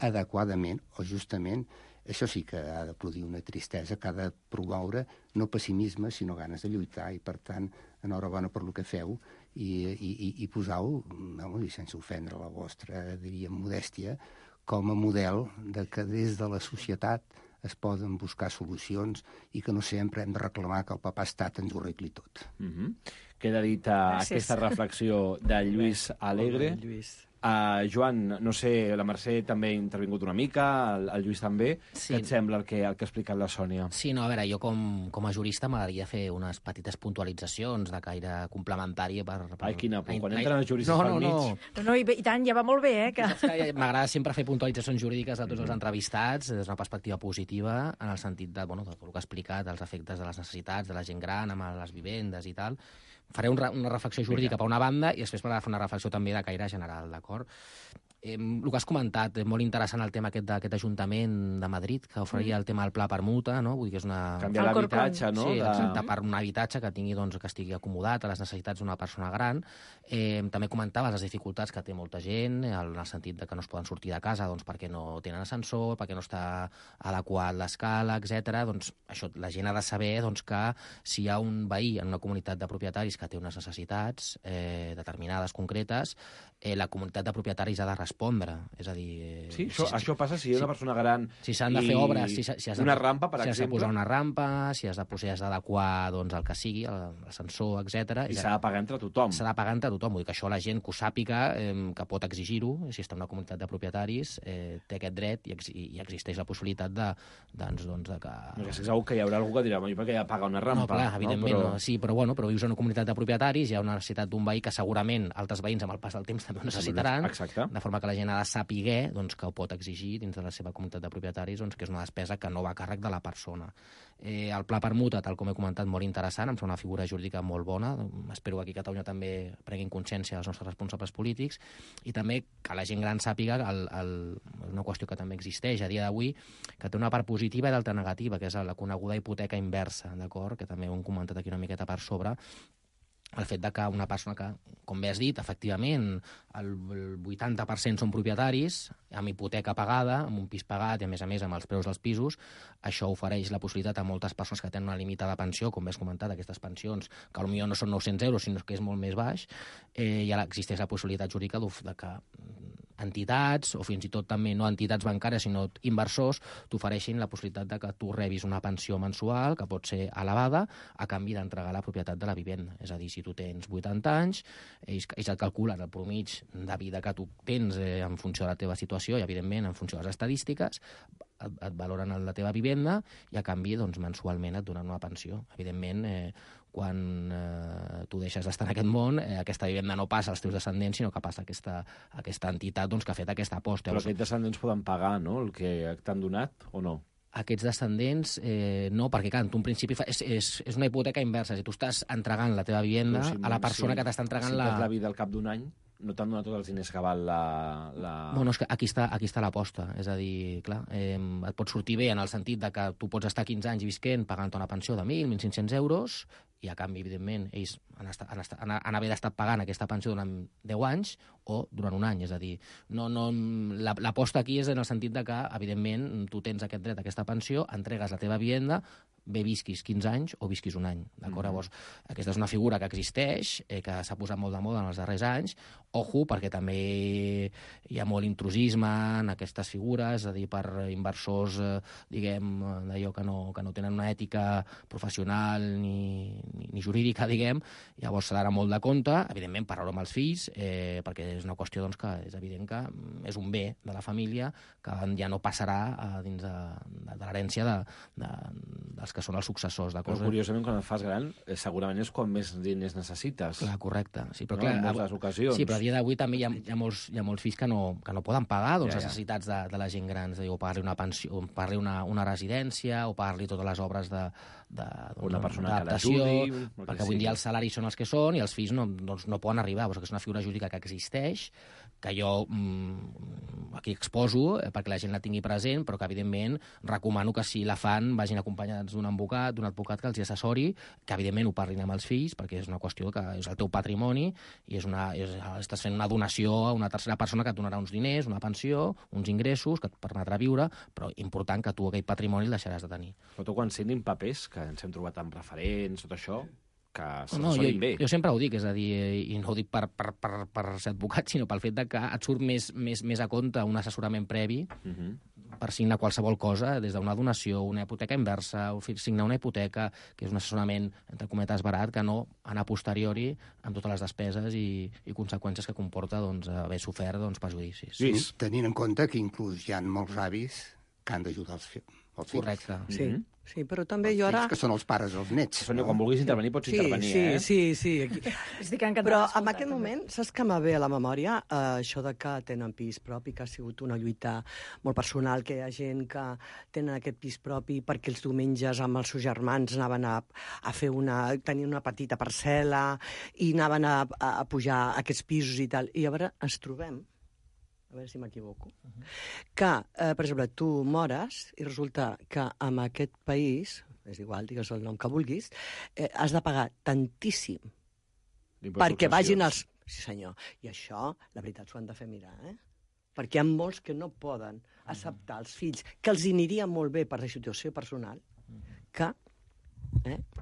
adequadament o justament, això sí que ha de produir una tristesa, que ha de promoure no pessimisme, sinó ganes de lluitar, i per tant, enhorabona per el que feu, i posau, i sense ofendre la vostra, diríem, modèstia, com a model de que des de la societat es poden buscar solucions i que no sempre hem de reclamar que el papà estat ens ho arregli tot. Queda dita aquesta reflexió de Lluís Alegre. Joan, no sé, la Mercè també ha intervingut una mica, el Lluís també. Sí. Què et sembla el que ha explicat la Sònia? Sí, no, a veure, jo com a jurista m'agradaria fer unes petites puntualitzacions de caire complementari per... Ai, quina por, quan entren els juristes pel mig... No, i tant, ja va molt bé, que... M'agrada sempre fer puntualitzacions jurídiques de tots els entrevistats des d'una perspectiva positiva, en el sentit de tot el que ha explicat, els efectes de les necessitats de la gent gran amb les vivendes i tal. Faré una reflexió jurídica per una banda i després m'agrada fer una reflexió també de caire general, d'acord? El que has comentat, molt interessant el tema d'aquest Ajuntament de Madrid, que oferia el tema del pla permuta, no? Vull dir que és una... Canviar l'habitatge, no? Sí, exacte, per un habitatge que tingui, doncs, que estigui acomodat a les necessitats d'una persona gran. També comentaves les dificultats que té molta gent, en el sentit de que no es poden sortir de casa doncs, perquè no tenen ascensor, perquè no està adequat l'escala, etc. Doncs això, la gent ha de saber doncs, que si hi ha un veí en una comunitat de propietaris que té unes necessitats determinades, concretes, la comunitat de propietaris ha de respondre. És a dir... Sí, això passa si hi ha una persona gran si s'han de fer obres, si has de, una rampa, per exemple. Si has de posar una rampa, si has d'adequar doncs, el que sigui, l'ascensor, etc. I s'ha de pagar entre tothom. S'ha de pagar entre tothom. Vull dir que això la gent que ho sàpiga, que pot exigir-ho, si està en una comunitat de propietaris, té aquest dret i existeix la possibilitat de que... És segur que hi haurà algú que dirà, jo perquè ja paga una rampa. No, clar, evidentment, no? Sí, però vius en una comunitat de propietaris, hi ha una necessitat d'un veí que segurament altres veïns amb el pas del temps també ho necessitaran. Exacte. De forma que la gent ha de saber doncs, que ho pot exigir dins de la seva comunitat de propietaris, doncs, que és una despesa que no va a càrrec de la persona. El pla permuta, tal com he comentat, molt interessant, em sembla una figura jurídica molt bona. Espero que aquí a Catalunya també prenguin consciència els nostres responsables polítics i també que la gent gran sàpiga una qüestió que també existeix a dia d'avui, que té una part positiva i d'altra negativa, que és la coneguda hipoteca inversa, d'acord? Que també ho hem comentat aquí una miqueta per sobre, el fet de que una persona que, com bé has dit, efectivament, el 80% són propietaris, amb hipoteca pagada, amb un pis pagat i, a més, amb els preus dels pisos, això ofereix la possibilitat a moltes persones que tenen una limitada pensió, com bé has comentat, aquestes pensions, que potser no són 900 euros, sinó que és molt més baix, i ara existeix la possibilitat jurídica de que entitats, o fins i tot també no entitats bancàries, sinó inversors, t'ofereixin la possibilitat de que tu rebis una pensió mensual, que pot ser elevada, a canvi d'entregar la propietat de la vivenda. És a dir, si tu tens 80 anys, ells et calculen el promig de vida que tu tens en funció de la teva situació i, evidentment, en funció de les estadístiques, et valoren la teva vivenda i, a canvi, doncs, mensualment et donen una pensió. Evidentment, quan tu deixes d'estar en aquest món, aquesta vivenda no passa als teus descendents, sinó que passa a aquesta entitat doncs, que ha fet aquesta aposta. Però aquests descendents poden pagar, no?, el que t'han donat, o no? Aquests descendents, no, perquè, clar, tu en principi és una hipoteca inversa. Si tu estàs entregant la teva vivenda a la persona que t'està entregant la... Si tens la vida al cap d'un any, no t'han donat tots els diners que val la... Bueno, és que aquí està l'aposta. És a dir, clar, et pot sortir bé en el sentit de que tu pots estar 15 anys visquent pagant una pensió de 1.000, 1.500 euros, i a canvi, evidentment, ells han haver d'estar pagant aquesta pensió durant 10 anys o durant un any. És a dir, l'aposta aquí és en el sentit de que, evidentment, tu tens aquest dret a aquesta pensió, entregues la teva vivenda, bé visquis 15 anys o visquis un any. D'acord? Llavors, aquesta és una figura que existeix, que s'ha posat molt de moda en els darrers anys. Ojo, perquè també hi ha molt intrusisme en aquestes figures, és a dir, per inversors, diguem, d'allò que no tenen una ètica professional ni jurídica, diguem. Llavors s'ha d'anar molt de compte, evidentment, parlar amb els fills, perquè és una qüestió doncs, que és evident que és un bé de la família que ja no passarà dins de l'herència dels que són els successors. Però, curiosament, quan et fas gran, segurament és quan més diners necessites. Clar, correcte. Sí, però, en moltes ocasions. Sí, però a dia d'avui també hi ha molts fills que no poden pagar les necessitats de la gent gran, o pagar-li una pensió, o pagar-li una residència, o pagar-li totes les obres una persona que l'ajudi, perquè avui dia els salaris són els que són i els fills no poden arribar. Perquè és una figura jurídica que existeix, que jo aquí exposo perquè la gent la tingui present, però que, evidentment, recomano que si la fan vagin acompanyats d'un advocat que els assessori, que, evidentment, ho parlin amb els fills, perquè és una qüestió que és el teu patrimoni i estàs fent una donació a una tercera persona que et donarà uns diners, una pensió, uns ingressos que et permetrà viure, però important que tu aquell patrimoni el deixaràs de tenir. Però tu, quan signin papers, que ens hem trobat amb referents, tot això, que s'assorin bé. Jo sempre ho dic, és a dir, i no ho dic per ser advocat, sinó pel fet de que et surt més a compte un assessorament previ per signar qualsevol cosa, des d'una donació, una hipoteca inversa, o signar una hipoteca, que és un assessorament, entre cometes, barat, que no anar a posteriori amb totes les despeses i conseqüències que comporta haver sofert perjudicis. Sí, tenint en compte que inclús hi ha molts avis que han d'ajudar els fills. Correcte. Sí, però també jo ara... que són els pares, els nets. Sònia, quan vulguis intervenir, pots intervenir, Sí. Estic encantada. Però en aquest moment, saps que m'ha ve a la memòria això de que tenen pis propi, que ha sigut una lluita molt personal, que hi ha gent que tenen aquest pis propi perquè els diumenges amb els seus germans anaven a fer tenir una petita parcel·la i anaven a pujar aquests pisos i tal. I llavors ens trobem a veure si m'equivoco, que, per exemple, tu mores i resulta que en aquest país, és igual, digues el nom que vulguis, has de pagar tantíssim perquè vagin els... Sí, senyor. I això, la veritat, s'ho han de fer mirar, Perquè hi ha molts que no poden acceptar els fills, que els aniria molt bé per la situació personal, que...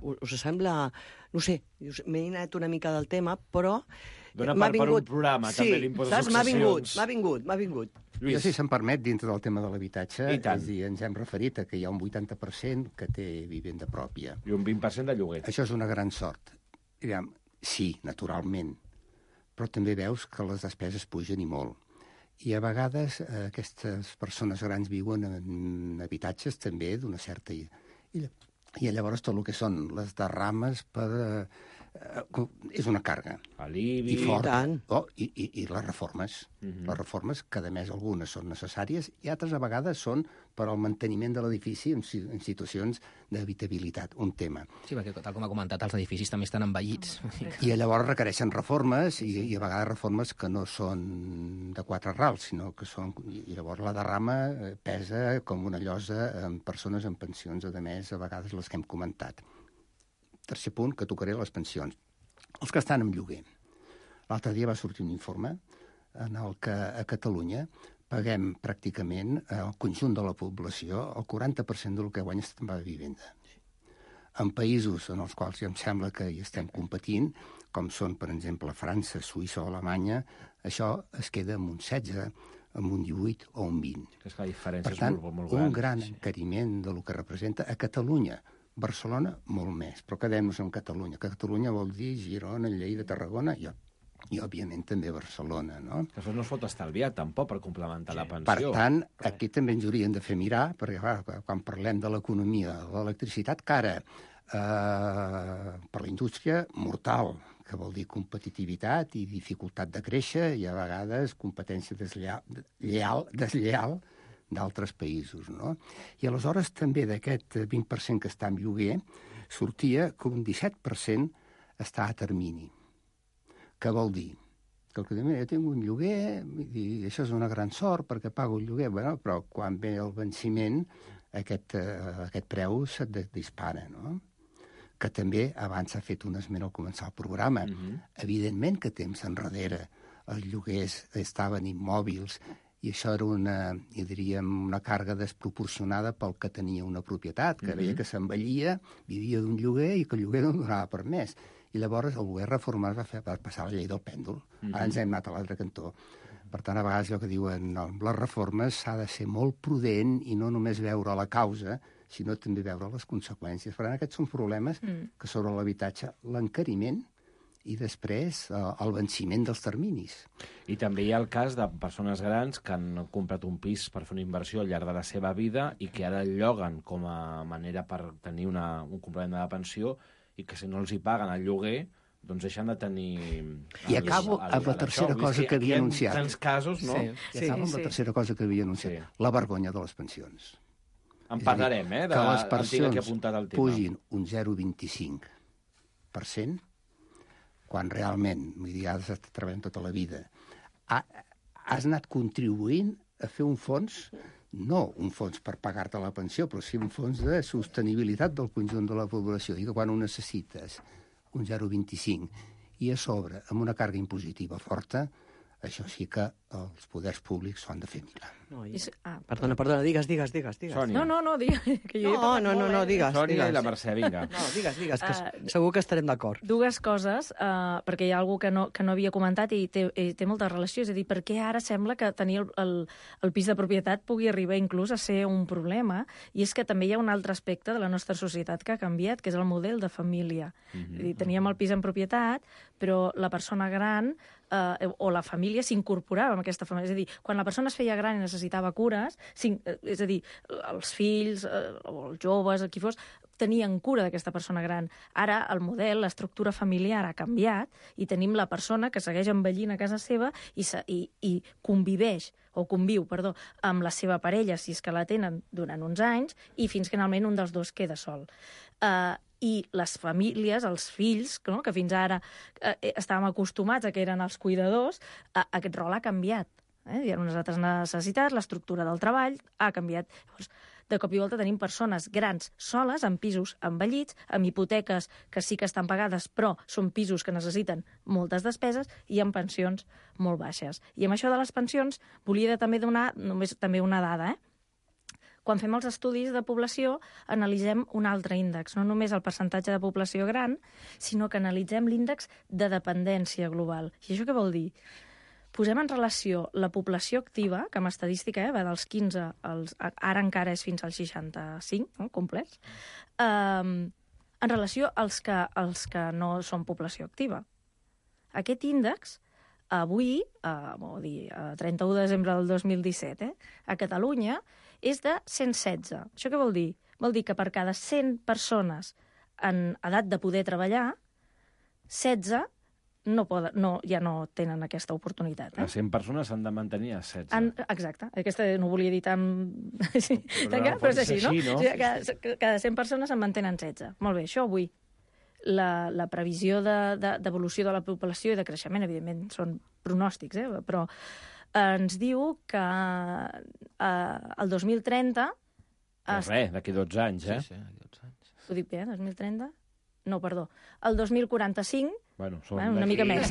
Us sembla... No sé, m'he anat una mica del tema, però... Dóna per un programa, també, l'impost de successions. M'ha vingut. Jo, si se'm permet, dintre del tema de l'habitatge, és a dir, ens hem referit a que hi ha un 80% que té vivenda pròpia. I un 20% de lloguer. Això és una gran sort. Diguem, sí, naturalment, però també veus que les despeses pugen i molt. I a vegades aquestes persones grans viuen en habitatges també d'una certa... I llavors tot el que són les derrames és una càrrega. Alivi... I fort. I les reformes. Les reformes, que a més algunes són necessàries i altres a vegades són per al manteniment de l'edifici en situacions d'habitabilitat, un tema. Sí, perquè tal com ha comentat, els edificis també estan envellits. I llavors requereixen reformes i a vegades reformes que no són de 4 rals, sinó que són... I llavors la derrama pesa com una llosa en persones en pensions, a més, a vegades les que hem comentat. Tercer punt, que tocaré les pensions. Els que estan en lloguer. L'altre dia va sortir un informe en el que a Catalunya paguem pràcticament el conjunt de la població el 40% del que guanya en va de vivenda. En països en els quals ja em sembla que hi estem competint, com són, per exemple, França, Suïssa o Alemanya, això es queda amb un 16, amb un 18 o un 20. És que la diferència per tant, és molt gran. Un gran encariment de lo que representa a Catalunya. Barcelona, molt més, però quedem-nos en Catalunya. Catalunya vol dir Girona, Lleida, Tarragona i òbviament, també Barcelona, no? Això no es pot estalviar, tampoc, per complementar la pensió. Per tant, aquí també ens haurien de fer mirar, perquè quan parlem de l'economia de l'electricitat, que ara, per la indústria, mortal, que vol dir competitivitat i dificultat de créixer i a vegades competència deslleial d'altres països, no? I aleshores també d'aquest 20% que està en lloguer sortia que un 17% està a termini. Què vol dir? Que jo tinc un lloguer i això és una gran sort perquè pago el lloguer, però quan ve el venciment aquest preu se't dispara, no? Que també abans s'ha fet un esment al començar el programa. Evidentment que temps enrere els lloguers estaven immòbils i això era una càrrega desproporcionada pel que tenia una propietat, que veia que s'envellia, vivia d'un lloguer i que el lloguer no donava per més. I llavors el govern reformat va passar la llei del pèndol. Ara ens hem anat a l'altre cantó. Per tant, a vegades allò que diuen les reformes s'ha de ser molt prudent i no només veure la causa, sinó també veure les conseqüències. Per tant, aquests són problemes que sobre l'habitatge, l'encariment i després el venciment dels terminis. I també hi ha el cas de persones grans que han comprat un pis per fer una inversió al llarg de la seva vida i que ara el lloguen com a manera per tenir un complement de la pensió i que si no els hi paguen el lloguer doncs deixen de tenir... I acabo amb la tercera cosa que havia anunciat. Hi ha tants casos, no? I acabo amb la tercera cosa que havia anunciat. La vergonya de les pensions. En parlarem, que les pensions pugin un 0,25%, quan realment, vull dir, has estat treballant tota la vida, has anat contribuint a fer un fons, no un fons per pagar-te la pensió, però sí un fons de sostenibilitat del conjunt de la població. I que quan ho necessites, un 0,25, i a sobre, amb una càrrega impositiva forta, això sí que els poders públics s'ho han de fer mirar. Perdona, digues. Sònia. No, digues. Digues. Sònia i la Mercè, vinga. No, digues, que segur que estarem d'acord. Dues coses, perquè hi ha algú que no havia comentat i té molta relació, és a dir, per què ara sembla que tenir el pis de propietat pugui arribar inclús a ser un problema, i és que també hi ha un altre aspecte de la nostra societat que ha canviat, que és el model de família. És a dir, teníem el pis en propietat, però la persona gran o la família s'incorporava en aquesta família. És a dir, quan la persona es feia gran i necessitava cures, és a dir, els fills o els joves, qui fos, tenien cura d'aquesta persona gran. Ara el model, l'estructura familiar ha canviat i tenim la persona que segueix envellint a casa seva i conviu amb la seva parella, si és que la tenen, durant uns anys, i fins que finalment un dels dos queda sol. I les famílies, els fills, que fins ara estàvem acostumats a que eren els cuidadors, aquest rol ha canviat. Hi ha unes altres necessitats, l'estructura del treball ha canviat. Llavors, de cop i volta tenim persones grans soles, en pisos envellits, amb hipoteques que sí que estan pagades, però són pisos que necessiten moltes despeses i amb pensions molt baixes. I amb això de les pensions volia també donar només també una dada. Quan fem els estudis de població, analitzem un altre índex, no només el percentatge de població gran, sinó que analitzem l'índex de dependència global. I això què vol dir? Posem en relació la població activa, que amb estadística va dels 15 als... Ara encara és fins als 65, no? Complets, en relació als que no són població activa. Aquest índex, avui, a 31 de desembre del 2017, a Catalunya, és de 116. Això què vol dir? Vol dir que per cada 100 persones en edat de poder treballar, 16 ja no tenen aquesta oportunitat. Les 100 persones s'han de mantenir a 16. Exacte. Aquesta no ho volia dir tan... Sí, però és així, no? O sigui, cada 100 persones en mantenen 16. Molt bé, això avui. La previsió d'evolució de la població i de creixement, evidentment, són pronòstics, però ens diu que el 2030... D'aquí 12 anys, Sí, d'aquí 12 anys. Ho dic bé, 2030? No, perdó. El 2045... una mica més,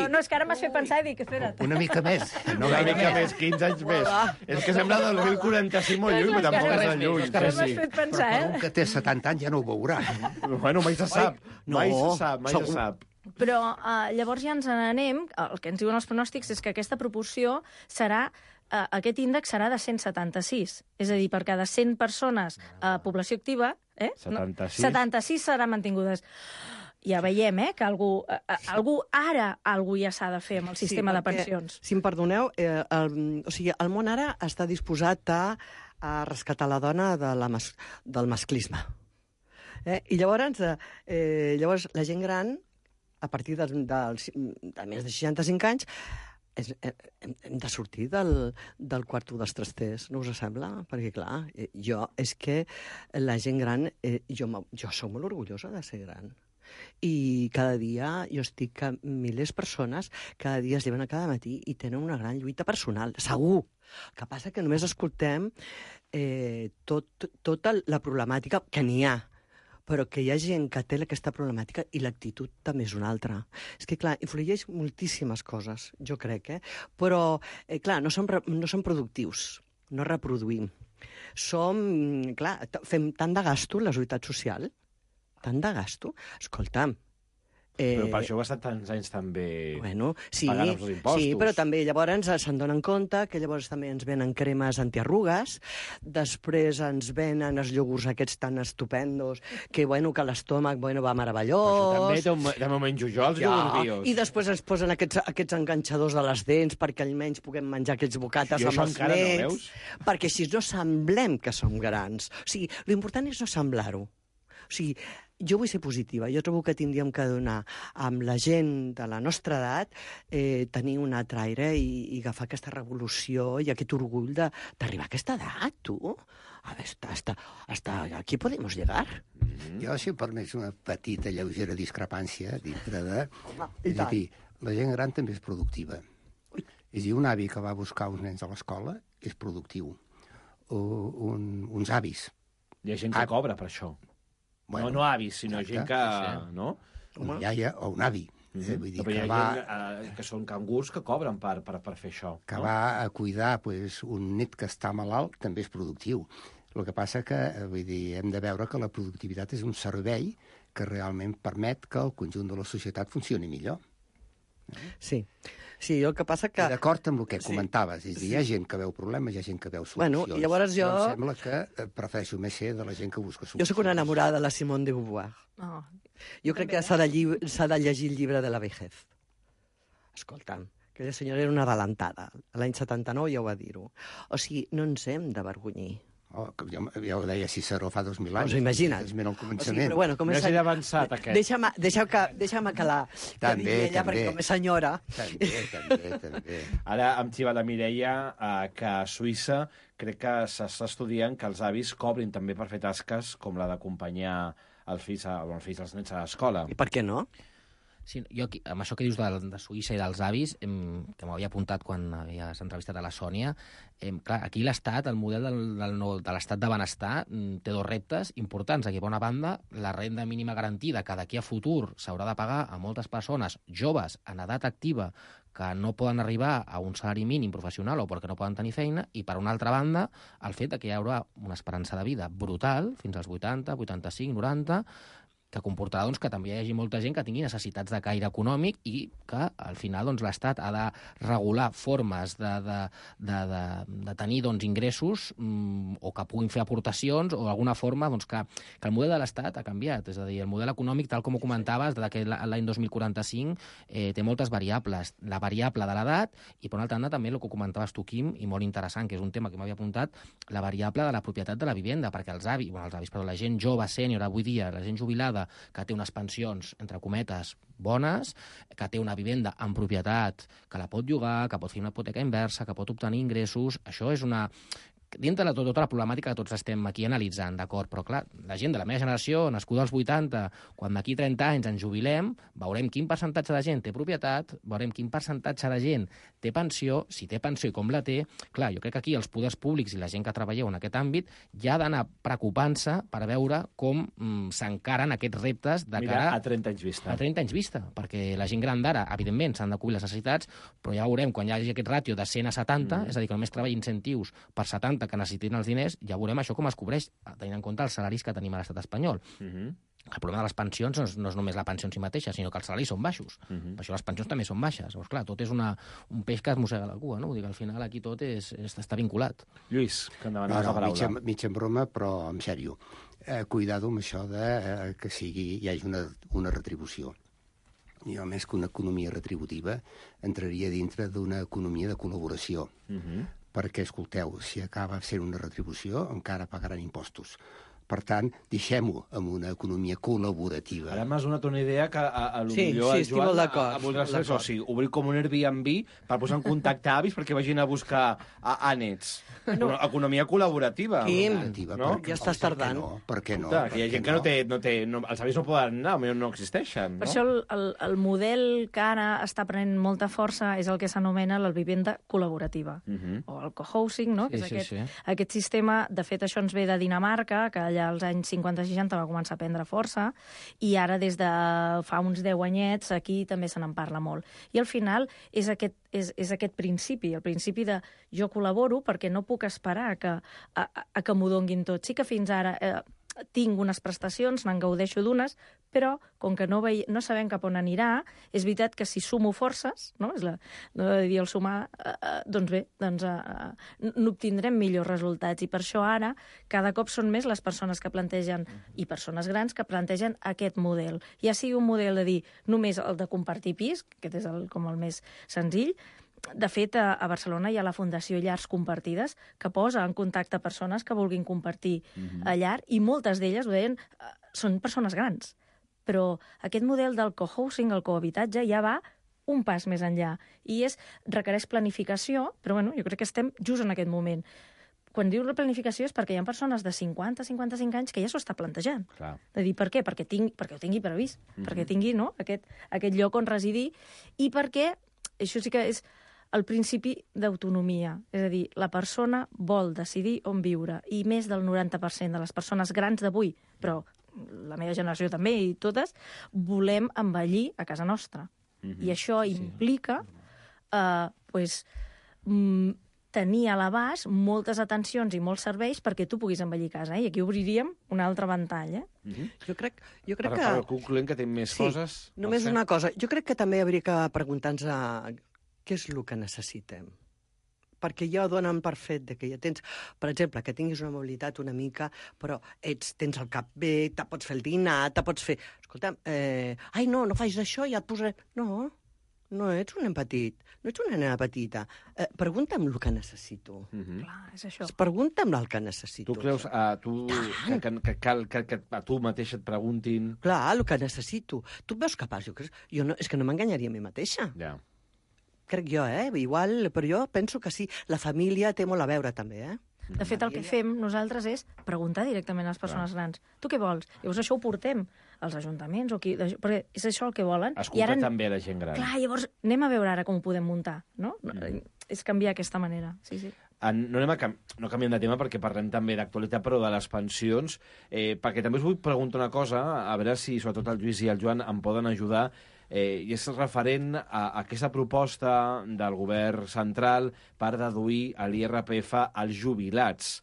No, és que ara m'has fet pensar i dic, espera't. Una mica més. No gaire més, 15 anys més. És que sembla del 2045 molt lluny, però tampoc és tan lluny. M'has fet pensar, Però com que té 70 anys ja no ho veurà. Bueno, mai se sap. Mai se sap. Però llavors ja ens n'anem, el que ens diuen els pronòstics és que aquesta proporció serà, aquest índex serà de 176. És a dir, per cada 100 persones a població activa, 76 seran mantingudes. Ja veiem, que algú ja s'ha de fer amb el sistema de pensions. Si em perdoneu, el món ara està disposat a rescatar la dona del masclisme. I llavors la gent gran, a partir de més de 65 anys, hem de sortir del quarto dels trasters, no us sembla? Perquè, clar, és que la gent gran... Jo soc molt orgullosa de ser gran. I cada dia jo estic que milers de persones cada dia es lleven a cada matí i tenen una gran lluita personal, segur. El que passa que només escoltem tota la problemàtica que n'hi ha, però que hi ha gent que té aquesta problemàtica i l'actitud també és una altra. És que, clar, influeix moltíssimes coses, jo crec, però, clar, no som productius, no reproduïm. Fem tant de gasto en la seguretat social, tant de gasto. Escolta'm... Però per això heu estat tants anys també pagant els impostos. Sí, però també llavors se'n donen compte que llavors també ens venen cremes antiarrugues, després ens venen els iogurts aquests tan estupendos que l'estómac va meravellós. Això també ho menjo jo, els iogurts bios. I després ens posen aquests enganxadors de les dents perquè almenys puguem menjar aquests bocates amb els nets. Perquè així no semblem que som grans. O sigui, l'important és no semblar-ho. O sigui, jo vull ser positiva. Jo trobo que tindríem que donar amb la gent de la nostra edat tenir un altre aire i agafar aquesta revolució i aquest orgull d'arribar a aquesta edat, tu. A veure, hasta aquí podemos llegar. Jo, si em permets una petita, lleugera discrepància dintre de... És a dir, la gent gran també és productiva. És a dir, un avi que va buscar uns nens a l'escola és productiu. Uns avis. Hi ha gent que cobra per això. Bueno, no avis, sinó gent que... No? Un iaia o un avi. Vull dir, però hi ha gent que són cangurs que cobren per fer això. Que va a cuidar un net que està malalt, també és productiu. El que passa que hem de veure que la productivitat és un servei que realment permet que el conjunt de la societat funcioni millor. Sí, el que passa que... D'acord amb el que comentaves, és a dir, hi ha gent que veu problemes, hi ha gent que veu solucions. Bueno, i llavors jo... Em sembla que prefereixo més ser de la gent que busca solucions. Jo sóc una enamorada de la Simone de Beauvoir. Jo crec que s'ha de llegir el llibre de la vejez. Escolta'm, aquella senyora era una adelantada. L'any 79 ja ho va dir-ho. O sigui, no ens hem d'avergonyir. Ja ho deia Ciceró fa 2.000 anys. Us ho imagina't. És al començament. Però bueno, no és avançat, aquest. Deixa'm que digui ella, perquè com a senyora... També. Ara em xiva la Mireia que a Suïssa crec que s'està estudiant que els avis cobrin també per fer tasques com la d'acompanyar els fills dels nens a l'escola. I per què no? Sí, jo aquí, amb això que dius de Suïssa i dels avis, que m'havia apuntat quan havies entrevistat a la Sònia, clar, aquí l'Estat, el model de l'Estat de benestar, té dos reptes importants. Aquí, per una banda, la renda mínima garantida, que d'aquí a futur s'haurà de pagar a moltes persones joves en edat activa que no poden arribar a un salari mínim professional o perquè no poden tenir feina, i, per una altra banda, el fet que hi haurà una esperança de vida brutal, fins als 80, 85, 90, que comportarà que també hi hagi molta gent que tingui necessitats de caire econòmic i que, al final, l'Estat ha de regular formes de tenir ingressos o que puguin fer aportacions o d'alguna forma que el model de l'Estat ha canviat. És a dir, el model econòmic, tal com ho comentaves, que l'any 2045 té moltes variables. La variable de l'edat i, per una altra banda, també el que comentaves tu, Quim, i molt interessant, que és un tema que m'havia apuntat, la variable de la propietat de la vivenda, perquè la gent jove, sènior, avui dia, la gent jubilada, que té unes pensions, entre cometes, bones, que té una vivenda en propietat, que la pot llogar, que pot fer una hipoteca inversa, que pot obtenir ingressos, això és una... dintre de tota la problemàtica que tots estem aquí analitzant, d'acord? Però, clar, la gent de la meva generació, nascuda als 80, quan d'aquí 30 anys ens jubilem, veurem quin percentatge de gent té propietat, veurem quin percentatge de gent té pensió, si té pensió i com la té. Clar, jo crec que aquí els poders públics i la gent que treballeu en aquest àmbit ja ha d'anar preocupant-se per veure com s'encaren aquests reptes de cara... a 30 anys vista. A 30 anys vista, perquè la gent gran d'ara, evidentment, s'han de cobrir les necessitats, però ja veurem, quan hi hagi aquest ràtio de 100 a 70, és a dir, que només treballi incentius per 70 que necessitin els diners, ja veurem això com es cobreix, tenint en compte els salaris que tenim a l'estat espanyol. El problema de les pensions no és només la pensió en si mateixa, sinó que els salaris són baixos. Per això les pensions també són baixes. Llavors, clar, tot és un peix que es mossega la cua, no? Vull dir que al final aquí tot està vinculat. Lluís, que endavant la paraula. Mig en broma, però en sèrio. Cuidado amb això de que hi hagi una retribució. Jo, més que una economia retributiva, entraria dintre d'una economia de col·laboració. Perquè, escolteu, si acaba sent una retribució, encara pagaran impostos. Per tant, deixem-ho amb una economia col·laborativa. Ara m'has donat una idea que Sí, estic molt d'acord. O sigui, obrir com un Airbnb per posar en contacte avis perquè vagin a buscar ànets. Economia col·laborativa. Quim, no? Ja estàs tardant. Per què no? Hi ha gent que els avis no poden anar, no existeixen. Per això el model que ara està prenent molta força és el que s'anomena la vivenda col·laborativa, o el cohousing, no? Aquest sistema, de fet, això ens ve de Dinamarca, que allà als anys 50-60 va començar a prendre força, i ara des de fa uns 10 anyets aquí també se n'en parla molt. I al final és aquest principi, el principi de jo col·laboro perquè no puc esperar a que m'ho donguin tot. Sí que fins ara tinc unes prestacions, me'n gaudeixo d'unes, però com que no sabem cap on anirà, és veritat que si sumo forces, no és el sumar, doncs bé, n'obtindrem millors resultats. I per això ara cada cop són més les persones que plantegen, i persones grans que plantegen aquest model. Ja sigui un model de dir només el de compartir pis, que és com el més senzill. De fet, a Barcelona hi ha la Fundació Llars Compartides que posa en contacte persones que vulguin compartir llar, i moltes d'elles, ho deien, són persones grans. Però aquest model del cohousing, el cohabitatge, ja va un pas més enllà. I requereix planificació, però bueno, jo crec que estem just en aquest moment. Quan diu la planificació és perquè hi ha persones de 50-55 anys que ja s'ho està plantejant. Clar. De dir, per què? Perquè ho tingui previst, perquè tingui aquest lloc on residir, i perquè, això sí que és el principi d'autonomia. És a dir, la persona vol decidir on viure, i més del 90% de les persones grans d'avui, però la meva generació també i totes, volem envellir a casa nostra. I això implica tenir a l'abast moltes atencions i molts serveis perquè tu puguis envellir a casa. I aquí obriríem un altre ventall. Jo crec que... Però concloent que té més coses... Només una cosa. Jo crec que també hauria que preguntar-nos què és el que necessitem. Perquè ja donen per fet que ja tens, per exemple, que tinguis una mobilitat una mica, però tens el cap bé, te pots fer el dinar, te pots fer... Escolta'm, no facis això, ja et posaré... No ets un nen petit, no ets una nena petita. Pregunta'm el que necessito. Clar, és això. Pregunta'm el que necessito. Tu creus que cal que a tu mateixa et preguntin... Clar, el que necessito. Tu et veus capaç? És que no m'enganyaria a mi mateixa. Ja. Crec jo, igual, però jo penso que sí. La família té molt a veure, també, De fet, el que fem nosaltres és preguntar directament a les persones grans. Tu què vols? Llavors això ho portem als ajuntaments, perquè és això el que volen. Escolta també la gent gran. Clar, llavors anem a veure ara com ho podem muntar, no? És canviar aquesta manera, sí. No canviem de tema perquè parlem també d'actualitat, però de les pensions, perquè també us vull preguntar una cosa, a veure si sobretot el Lluís i el Joan em poden ajudar, i és referent a aquesta proposta del govern central per deduir l'IRPF als jubilats.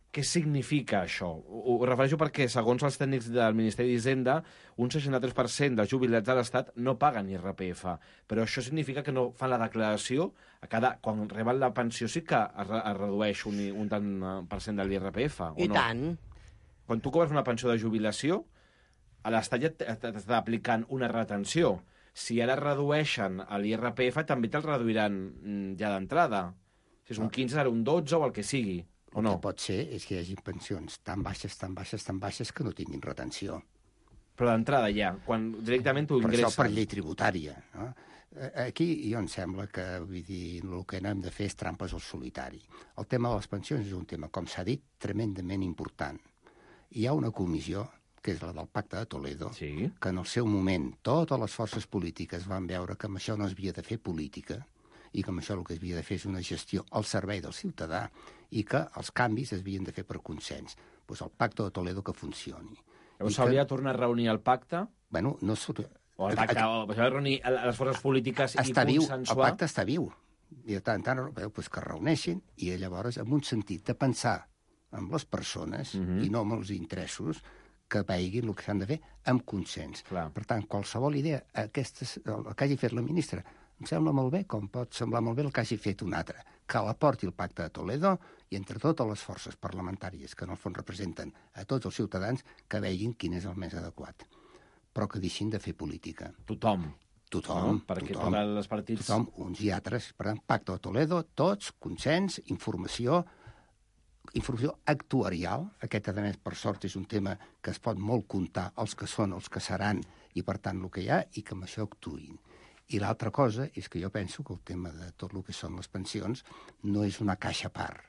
Què significa això? Ho refereixo perquè, segons els tècnics del Ministeri d'Hisenda, un 63% dels jubilats de l'Estat no paguen IRPF, però això significa que no fan la declaració quan reben la pensió sí que es redueix un tant per cent de l'IRPF, o no? I tant. Quan tu cobres una pensió de jubilació, a l'Estat ja t'està aplicant una retenció. Si ara redueixen l'IRPF, també te'l reduiran ja d'entrada. Si és un 15, serà un 12 o el que sigui. O no? El que pot ser és que hi hagi pensions tan baixes que no tinguin retenció. Però d'entrada ja, quan directament tu ingresses... Per això per llei tributària. No? Aquí jo em sembla que el que no hem de fer és trampes al solitari. El tema de les pensions és un tema, com s'ha dit, tremendament important. Hi ha una comissió, que és la del Pacte de Toledo, que en el seu moment totes les forces polítiques van veure que amb això no es havia de fer política, i que amb això el que es havia de fer és una gestió al servei del ciutadà i que els canvis es havien de fer per consens. Doncs el Pacte de Toledo que funcioni. Llavors s'hauria de tornar a reunir el pacte? Bueno, no... O el pacte, o s'hauria de reunir les forces polítiques i consensuar? El pacte està viu. I de tant en tant que es reuneixin i llavors amb un sentit de pensar amb les persones i no amb els interessos que veiguin el que s'han de fer amb consens. Per tant, qualsevol idea, el que hagi fet la ministra, em sembla molt bé, com pot semblar molt bé el que hagi fet un altre, que la porti el Pacte de Toledo i entre totes les forces parlamentàries que en el fons representen a tots els ciutadans que veguin quin és el més adequat. Però que deixin de fer política. Tothom. Perquè tots els partits... Tothom, uns i altres. Per tant, Pacte de Toledo, tots, consens, informació actuarial. Aquest, a més, per sort, és un tema que es pot molt comptar els que són, els que seran, i per tant el que hi ha, i que amb això actuïn. I l'altra cosa és que jo penso que el tema de tot el que són les pensions no és una caixa a part,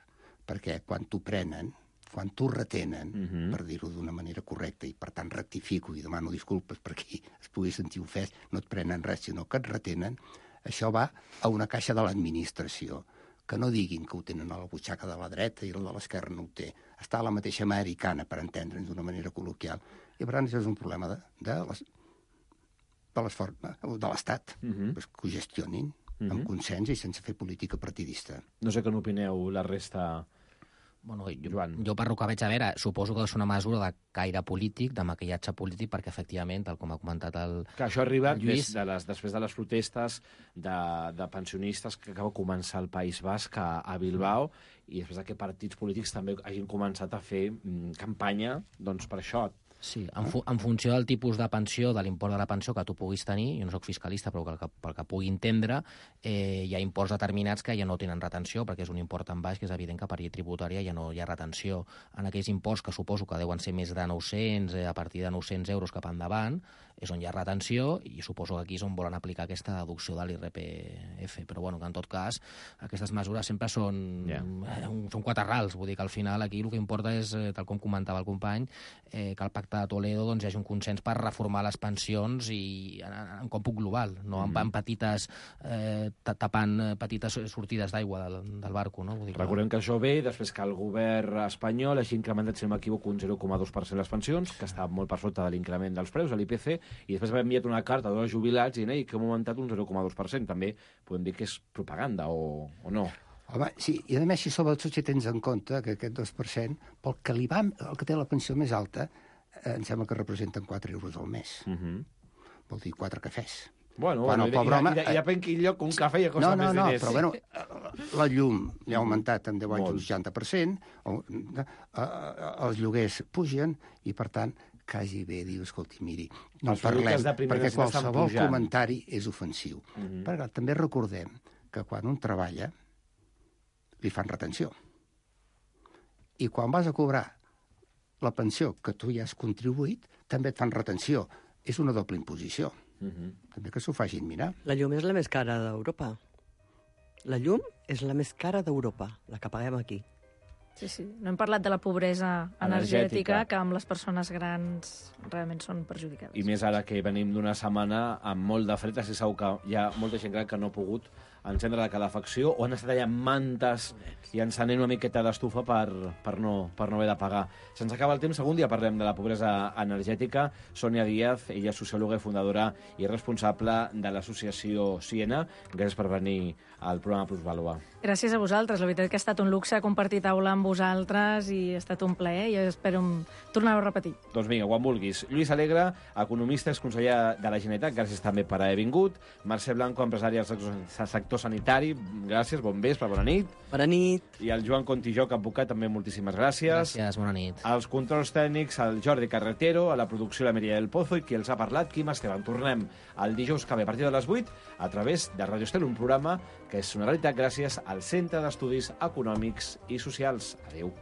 perquè quan t'ho prenen, quan t'ho retenen, per dir-ho d'una manera correcta, i per tant rectifico i demano disculpes per qui es pugui sentir ofès, no et prenen res, sinó que et retenen, això va a una caixa de l'administració, que no diguin que ho tenen a la butxaca de la dreta i la de l'esquerra no ho té. Està a la mateixa americana, per entendre'ns d'una manera col·loquial. I per tant, això és un problema de l'Estat, que ho gestionin amb consens i sense fer política partidista. No sé què n'opineu la resta... Bueno, jo per el que veig a veure, suposo que és una mesura de caire polític, de maquillatge polític, perquè efectivament, tal com ha comentat el que això arriba Lluís... després de les protestes de pensionistes que acaba de començar al País Basc, a Bilbao, i després que partits polítics també hagin començat a fer campanya doncs, per això. Sí, en funció del tipus de pensió, de l'import de la pensió que tu puguis tenir, jo no soc fiscalista, però pel que pugui entendre, hi ha imports determinats que ja no tenen retenció, perquè és un import tan baix que és evident que per llei tributària ja no hi ha retenció. En aquells imports que suposo que deuen ser més de 900, a partir de 900 euros cap endavant, és on hi ha retenció, i suposo que aquí és on volen aplicar aquesta deducció de l'IRPF. Però bueno, que en tot cas, aquestes mesures sempre són quatre rals, vull dir que al final aquí el que importa és, tal com comentava el company, que el Pacte de Toledo doncs, hi hagi un consens per reformar les pensions i en còmput global, no en petites, tapant petites sortides d'aigua del barco. No? Vull dir Recordem que això ve després que el govern espanyol hagi incrementat, si no m'equivoco, un 0,2% les pensions, que està molt per sota de l'increment dels preus, de l'IPC, i després va enviat una carta a tots els jubilats i que hem augmentat un 0,2%. També podem dir que és propaganda o no? Home, sí, i a més, si sobretot si tens en compte que aquest 2%, pel que el que té la pensió més alta, em sembla que representen 4 euros al mes. Vol dir 4 cafès. Bueno, i depèn quin lloc, un cafè ja costa més diners. Però bueno, la llum ja ha augmentat en 10 anys un 60%, els lloguers pugen, i per tant, quasi bé diu, escolti, miri, no parlem, perquè qualsevol comentari és ofensiu. Perquè també recordem que quan un treballa, li fan retenció. I quan vas a cobrar la pensió que tu ja has contribuït, també et fan retenció. És una doble imposició. També que s'ho facin mirar. La llum és la més cara d'Europa. La llum és la més cara d'Europa, la que paguem aquí. Sí. No hem parlat de la pobresa energètica, que amb les persones grans realment són perjudicades. I més ara que venim d'una setmana amb molt de fred, si segur que hi ha molta gent gran que no ha pogut encendre la calefacció o han estat allà amb mantes i encenent una miqueta d'estufa per no haver de pagar. Se'ns acaba el temps, algun dia parlem de la pobresa energètica. Sònia Díaz, ella és sociòloga i fundadora i responsable de l'associació Siena. Gràcies per venir al programa Plusvàlua. Gràcies a vosaltres, la veritat que ha estat un luxe compartir taula amb vosaltres i ha estat un plaer i espero tornar-ho a repetir. Doncs vinga, quan vulguis. Lluís Alegre, economista, exconseller de la Generalitat, gràcies també per haver vingut. Mercè Blanco, empresària del sector sanitari, gràcies, bon vespre, bona nit. Bona nit. I el Joan Contijoc, advocat, també moltíssimes gràcies. Gràcies, bona nit. Els controls tècnics, el Jordi Carretero, a la producció la Mireia del Pozo i qui els ha parlat, Quim Esteban. Tornem el dijous que ve a partir de les 8 a través de Radio Estel, un programa que és una realitat gràcies al Centre d'Estudis Econòmics i Socials. Adéu.